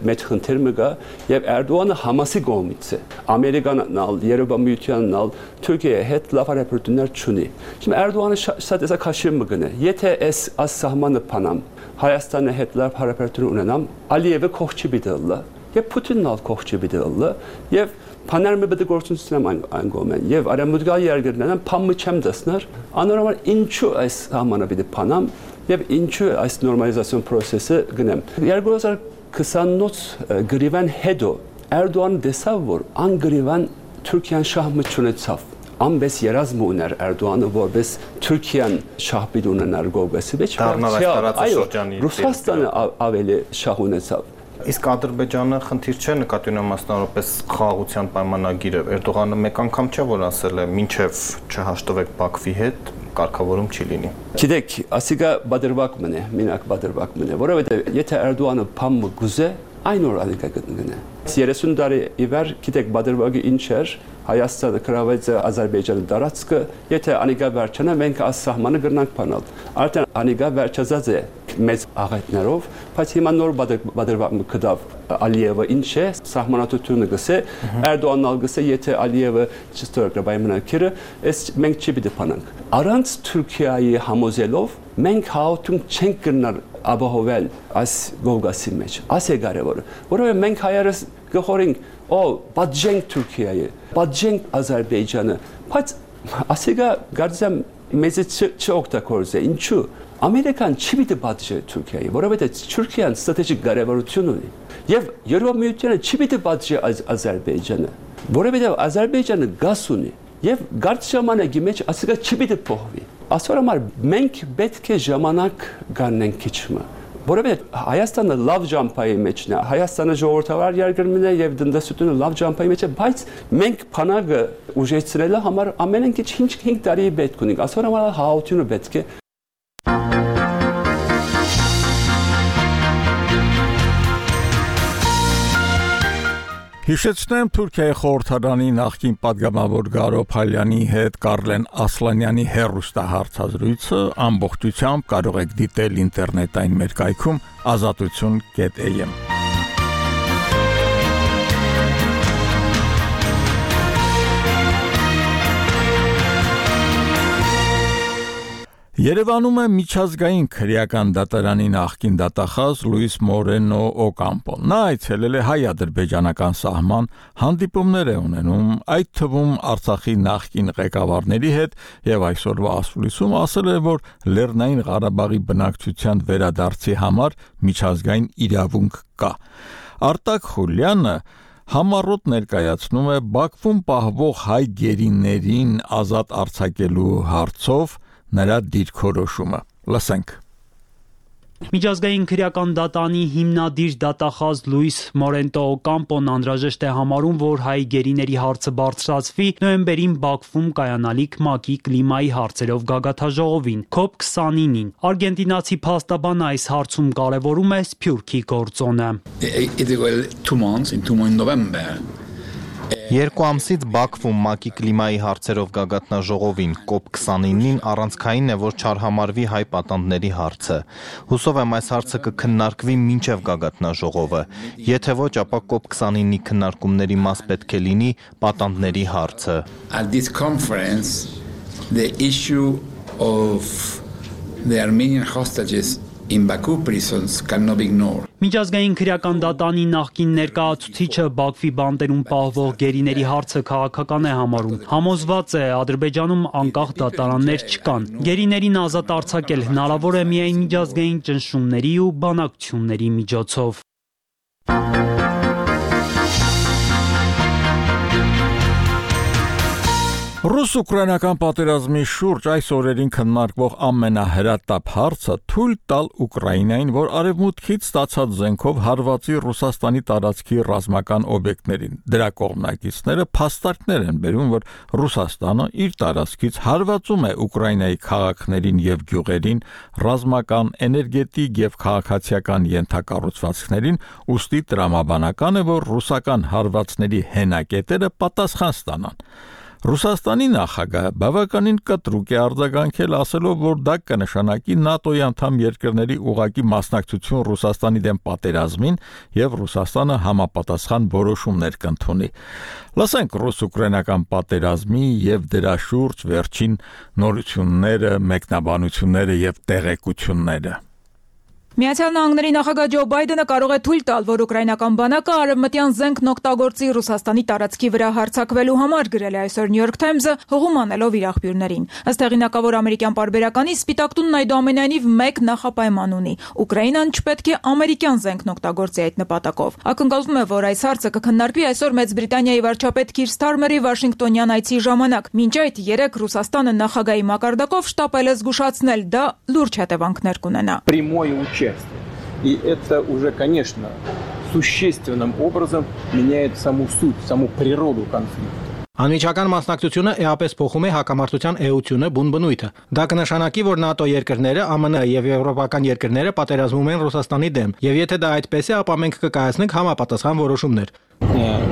Speaker 11: մեծ խնդիր կա եւ Էրդողանը Համասի կողմից է։ Ամերիկանն ալ, Երևանն ալ, Թուրքիայի հետ լավ հարաբերություններ չունի։ Հիմա Էրդողանը շատ էսա քաշի մգնե։ Եթե այս այս սահմանը փանամ, Հայաստանի հետ լավ հարաբերություն ունենամ, Ալիևը կողքի բիդելը եւ Պուտինն ալ կողքի բիդելը եւ Փաներմը պետք է գործունեություն այն կողմեն եւ արամուտգալ երկրներն փամը չեմ դեսներ անորոշ ինչու այս համանը պիտի փանամ եւ ինչու այս նորմալիզացիոն process-ը գնեմ երկու հազար քսանինոց գրիվան հետո Էրդողան դեսավ որ անգրիվան Թուրքիան շահմը չունեցավ ամբես երազմ ուներ Էրդողանը որպես Թուրքիան շահպիտ ունենար գողեսի մեջ այո Ռուսաստանը ավելի շահ ունեցավ
Speaker 10: Իսկ Ադրբեջանը խնդիր չէ նկատի ունեմ մասնավորապես խաղաղության պայմանագիրը Էրդողանը մեկ անգամ չէ որ ասել է մինչև չհաշտվեք Բաքվի հետ կարգավորում չի լինի
Speaker 11: Գիտեք ասիկա բادرվակ մնե մինակ բادرվակ մնե որովհետև եթե Էրդողանը փամը գուզե այն օր ալիկա գտնգնե երեսուն տարի իվեր գիտեք բادرվակը ինչ էր Հայաստանը կրավեց Ադրբեջանի տարածքը եթե անիգա վերջանա մենք այս սահմանը գրնանք փանալ արդեն անիգա վերջացած է մեծ աղետներով բայց հիմա նոր բادرվակ կդավ Ալիևը ինչ է սահմանատությունը գսե Էրդողանն ալ գսե եթե Ալիևը չստորագրի պայմանագիրը այս մենք չի պիտի փանանք առանց Թուրքիայի համոզելով մենք հաղորդում չենք կրնար ապահովել այս գողգասի մեջ այս է կարևորը որովհետև մենք հայերս գխորենք օ բաժենք Թուրքիայի բաժենք Ադրբեջանը բայց ասիկա գարձեմ մեծ չօգտագործե ինչու Ամերիկան չի պիտի բաժե Թուրքիայի որովհետև Թուրքիան ստրատեգիկ կարևորություն ունի եւ Եվրոպամիությունը չի պիտի բաժե Ադրբեջանը որովհետև Ադրբեջանը գազ ունի եւ գարց ժամանակի մեջ ասիկա չի պիտի փոխվի ասոր համար մենք պետք է ժամանակ գանենք քիչմը որովհետև Հայաստանը լավ ջամփայի մեջն է Հայաստանը ժողովրդավար երկրն է եւ դնդասությունը լավ ջամփայի մեջ է բայց մենք փանագը ուժեցրելը համար ամեն ինչ հինգ տարի պետք ունենք ասոր համար հաղորդությունը պետք է
Speaker 1: Հիշեցնեմ Թուրքիայի խորհրդարանի նախկին падգամավոր Գարո Փալյանի հետ Կարլեն Ասլանյանի հեռուստահարցազրույցը ամբողջությամբ կարող եք դիտել ինտերնետային մեր կայքում ազատություն կետ էյ էմ. Երևանում է միջազգային քրեական դատարանի նախկին դատախազ Լուիս Մորենո Օկամպոն։ Նա այցելել է հայ-ադրբեջանական սահման, հանդիպումներ է ունենում, այդ թվում Արցախի նախկին ղեկավարների հետ եւ այսօրվա ասուլիսում ասել է, որ Լեռնային Ղարաբաղի բնակչության վերադարձի համար միջազգային իրավունք կա։ Արտակ Խուլյանը համառոտ ներկայացնում է Բաքվում պահվող հայ գերիներին ազատ արձակելու հարցով նրա դիրքորոշումը։ Լսենք։
Speaker 12: Միջազգային քրեական դատարանի հիմնադիր դատախազ Լուիս Մորենտո Օկամպոն անհրաժեշտ է համարում, որ հայ գերիների հարցը բարձրացվի նոյեմբերին Բաքվում կայանալիք ՄԱԿ-ի կլիմայի հարցերով գագաթաժողովին քոփ քսանինին։ Արգենտինացի փաստաբանը այս հարցում կարևորում է Սփյուռքի գործոնը։
Speaker 10: Երկու ամսից Բաքվում ՄԱԿ-ի կլիմայի հարցերով գագաթնաժողովին կոպ քսանինին առանցքային է, որ չարհամարվի հայ պատանդների հարցը։ Հուսով եմ այս հարցը կքննարկվի մինչև գագաթնաժողովը։ Եթե ոչ, ապա կոպ քսանինի քննարկումների մաս պետք է լինի պատանդների հարցը։
Speaker 13: At this conference, the issue of the Armenian hostages in Baku prisons cannot be ignored.
Speaker 12: Միջազգային քրեական դատարանի նախկին ներկայացուցիչը Բաքվի բանտերում պահվող գերիների հարցը քաղաքական է համարում։ Համոզված է, Ադրբեջանում անկախ դատարաններ չկան։ Գերիներին ազատ արձակել հնարավոր է միայն միջազգային ճնշումների ու բանակցությունների միջոցով։
Speaker 1: Ռուս-ուկրաինական պատերազմի շուրջ այս օրերին քննարկվող ամենահրատապ հարցը թույլ տալ Ուկրաինային, որ արևմուտքից ստացած զենքով հարվածի Ռուսաստանի տարածքի ռազմական օբյեկտներին։ Դրա կողմնակիցները փաստարկներ են բերում, որ Ռուսաստանը իր տարածքից հարվածում է Ուկրաինայի քաղաքներին եւ գյուղերին, ռազմական, էներգետիկ եւ քաղաքացիական ենթակառուցվածքներին, ուստի տրամաբանական է, որ ռուսական հարվածների հենակետերը պատասխան ստանան։ Ռուսաստանի նախագահը բավականին կտրուկ է արձագանքել, ասելով, որ դա կնշանակի ՆԱՏՕ-ի անդամ երկրների ուղղակի մասնակցություն Ռուսաստանի դեմ պատերազմին եւ Ռուսաստանը համապատասխան որոշումներ կընդունի։ Լսենք ռուս-ուկրաինական պատերազմի եւ դրա շուրջ վերջին նորությունները, մեկնաբանությունները եւ տեղեկությունները։
Speaker 14: Միացյալ Նահանգների նախագահ Ջո Բայդենը կարող է թույլ տալ, որ ուկրաինական բանակը արևմտյան զենքն օգտագործի Ռուսաստանի տարածքի վրա հարձակվելու համար, գրել է այսօր New York Times-ը, հղում անելով իր աղբյուրներին։ Ըստ հեղինակավոր ամերիկյան պարբերականի, Սպիտակ տունն այդուամենայնիվ մեկ նախապայման ունի. Ուկրաինան չպետք է ամերիկյան զենքն օգտագործի այդ նպատակով։ Ակնկալվում է, որ այս հարցը կքննարկվի այսօր Մեծ Բրիտանիայի վարչապետ Քիր Սթարմերի Վաշինգտոնյան այցի ժամանակ։ Մինչ այդ երեք Ռուսաստանը նախագահի մակարդակով շտապել է զգուշացնել, դա լուրջ հետևանքներ կունենա։
Speaker 15: И это уже, конечно, существенным образом меняет саму суть, саму природу конфликта.
Speaker 16: Անմիջական մասնակցությունը էապես փոխում է հակամարտության էությունը բուն բնույթը։ Դա կնշանակի, որ ՆԱՏՕ երկրները, ԱՄՆ եւ եվրոպական երկրները պատերազմում են Ռուսաստանի դեմ, եւ եթե դա այդպես է, ապա մենք կկայացնենք համապատասխան որոշումներ։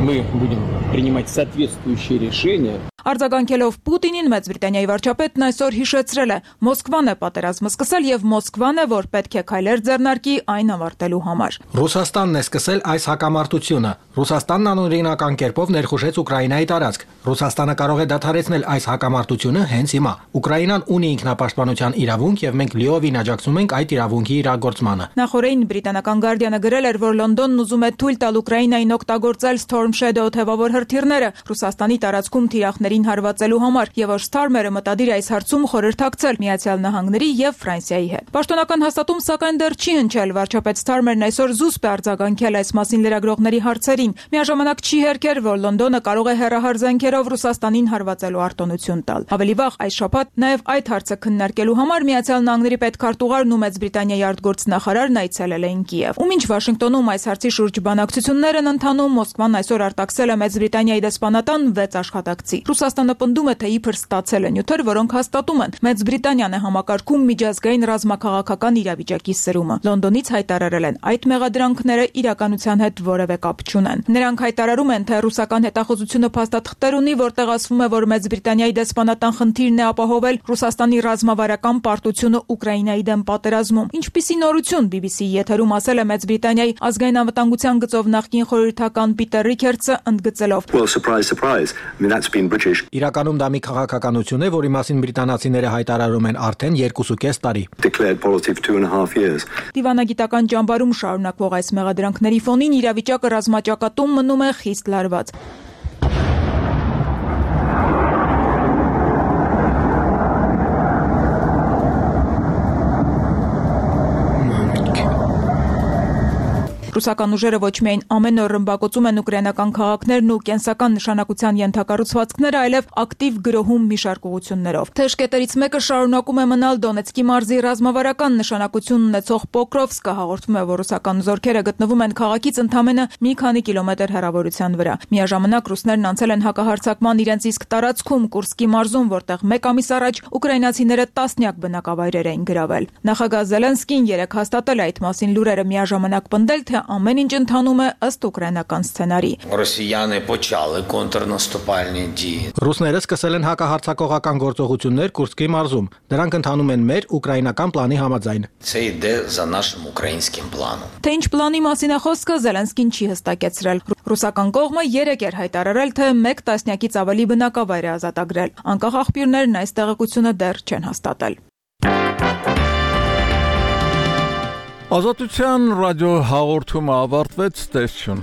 Speaker 15: Мы будем принимать соответствующие решения.
Speaker 14: Արձագանքելով Պուտինին, Մեծ Բրիտանիայի վարչապետն այսօր հիշեցրել է. Մոսկվան է պատերազմը սկսել եւ Մոսկվան է, որ պետք է քայլեր ձեռնարկի այն ավարտելու համար։
Speaker 16: Ռուսաստանն է սկսել այս հակամարտությունը։ Ռուսաստանն անօրինական կերպով ներխուժեց Ուկրաինայի տարածք։ Ռուսաստանը կարող է դադարեցնել այս հակամարտությունը հենց հիմա։ Ուկրաինան ունի ինքնապաշտպանության իրավունք եւ մենք լիովին աջակցում ենք այդ իրավունքի իրագործմանը։
Speaker 14: Նախորդին բրիտանական Guardian-ը գրել էր, որ Լոնդոնն ուզում է թույլ տալ Ուկրաինային օգտագործել Storm Shadow թեւավոր հրթիռները Ռուսաստանի տարածքում թիրախներին հարվածելու համար, եւ որ Սթարմերը մտադիր այս հարցում խորհրդակցել Միացյալ Նահանգների եւ Ֆրանսիայի հետ։ Պաշտոնական հաստատում սակայն դեռ չի հնչել, վարչապետ Սթարմերն այսօր զուսպ է արձագանքել այս մասին լրագրողների հարցերին։ Միաժամանակ չի հերքեր, որ Լոնդոնը կարող է հեռահար զենքերով Ռուսաստանին հարվածելու արտոնություն տալ։ Ավելի վաղ այս շաբաթ նաեւ այդ հարցը քննարկելու համար Միացյալ Նահանգների պետքարտուղարն ու Մեծ Բրիտանիայի արտգործնախարարն այցելել էին Կիև։ Ու մինչ Վաշինգտոնում այս հարցի շուրջ բանակցություններ են ընթանում, Մոսկվան այսօր արտաքսել է Մեծ Բրիտանիայի դեսպանատան վեց աշխատակցի։ Ռուսաստանը պնդում է, թե իբր ստացել է նյութեր, որոնք հաստատում են Մեծ Բրիտանիան է համակարգում միջազգային ռազմաքաղաքական իրավիճակի սրումը։ Լոնդոնից հայտարարել են, այդ մեղադրանքները իրականության հետ որևէ կապ չունեն։ Նրանք հայտարարում են, թե ռուսական հետախուզությունը փաստաթղթեր ունի, որտեղ ասվում է, որ Մեծ Բրիտանիայի դեսպանատան խնդիրն է ապահովել Ռուսաստանի ռազմավարական պարտությունը Ուկրաինայի դեմ պատերազմում։ Ինչպիսի նորություն, բի բի սի-ի եթերում ասել է Մեծ Բրիտանիայի ազգային անվտանգության գծով նախկին խորհրդական Պիտեր Ռիքերդսը, ընդգծելով.
Speaker 17: Well, surprise, surprise. I mean, that's been British.
Speaker 16: Իրականում դա մի քաղաքականություն է, որի մասին բրիտանացիները հայտարարում են արդեն երկուսուկես տարի։
Speaker 17: Declared policy for two and a half years.
Speaker 14: Դիվանագիտական ճամբարում շարունակվող այս մեղադրանքների ֆոնին իրավիճակը ռազմաճակատում մնում է խիստ լարված։ Ռուսական ուժերը ոչ միայն ամեն օր ռմբակոծում են ուկրաինական քաղաքներն ու կենսական նշանակության ենթակառուցվածքները, այլև ակտիվ գրոհում մի շարք ուղղություններով։ Թեժկետերից մեկը շարունակում է մնալ Դոնեցկի մարզի ռազմավարական նշանակություն ունեցող Պոկրովսկը, հաղորդում է, որ ռուսական զորքերը գտնվում են քաղաքից ընդամենը մի քանի կիլոմետր հեռավորության վրա։ Միաժամանակ ռուսներն անցել են հակահարձակման իրենց իսկ տարածքում Կուրսկի մարզում, որտեղ մեկ ամիս առաջ ուկրաինացիները տասնյակ բնակավայրեր էին գրավել։ Նախագահ Զելենսկին երեկ հաստատել է այդ մասին լուրերը, միաժամանակ պնդել, թե ամեն ինչ ընթանում է ըստ ուկրաինական սցենարի։
Speaker 18: Ռոսիյանը почали контрнаступальні дії։
Speaker 16: Ռուսները սկսել են հակահարձակողական գործողություններ Կուրսկի մարզում։ Դրանք ընթանում են մեր ուկրաինական պլանի համաձայն։
Speaker 18: Це йде за нашим українським планом։
Speaker 14: Թե ինչ պլանի մասին է խոսքը, Զելենսկին չի հստակեցրել։ Ռուսական կողմը երեկ էր հայտարարել, թե մեկ տասնյակից ավելի բնակավայր է ազատագրել։ Անկախ աղբյուրներն այս տեղեկությունը դեռ չեն հաստատել։
Speaker 1: Ազատության ռադիո հաղորդումը ավարտվեց, տեսություն։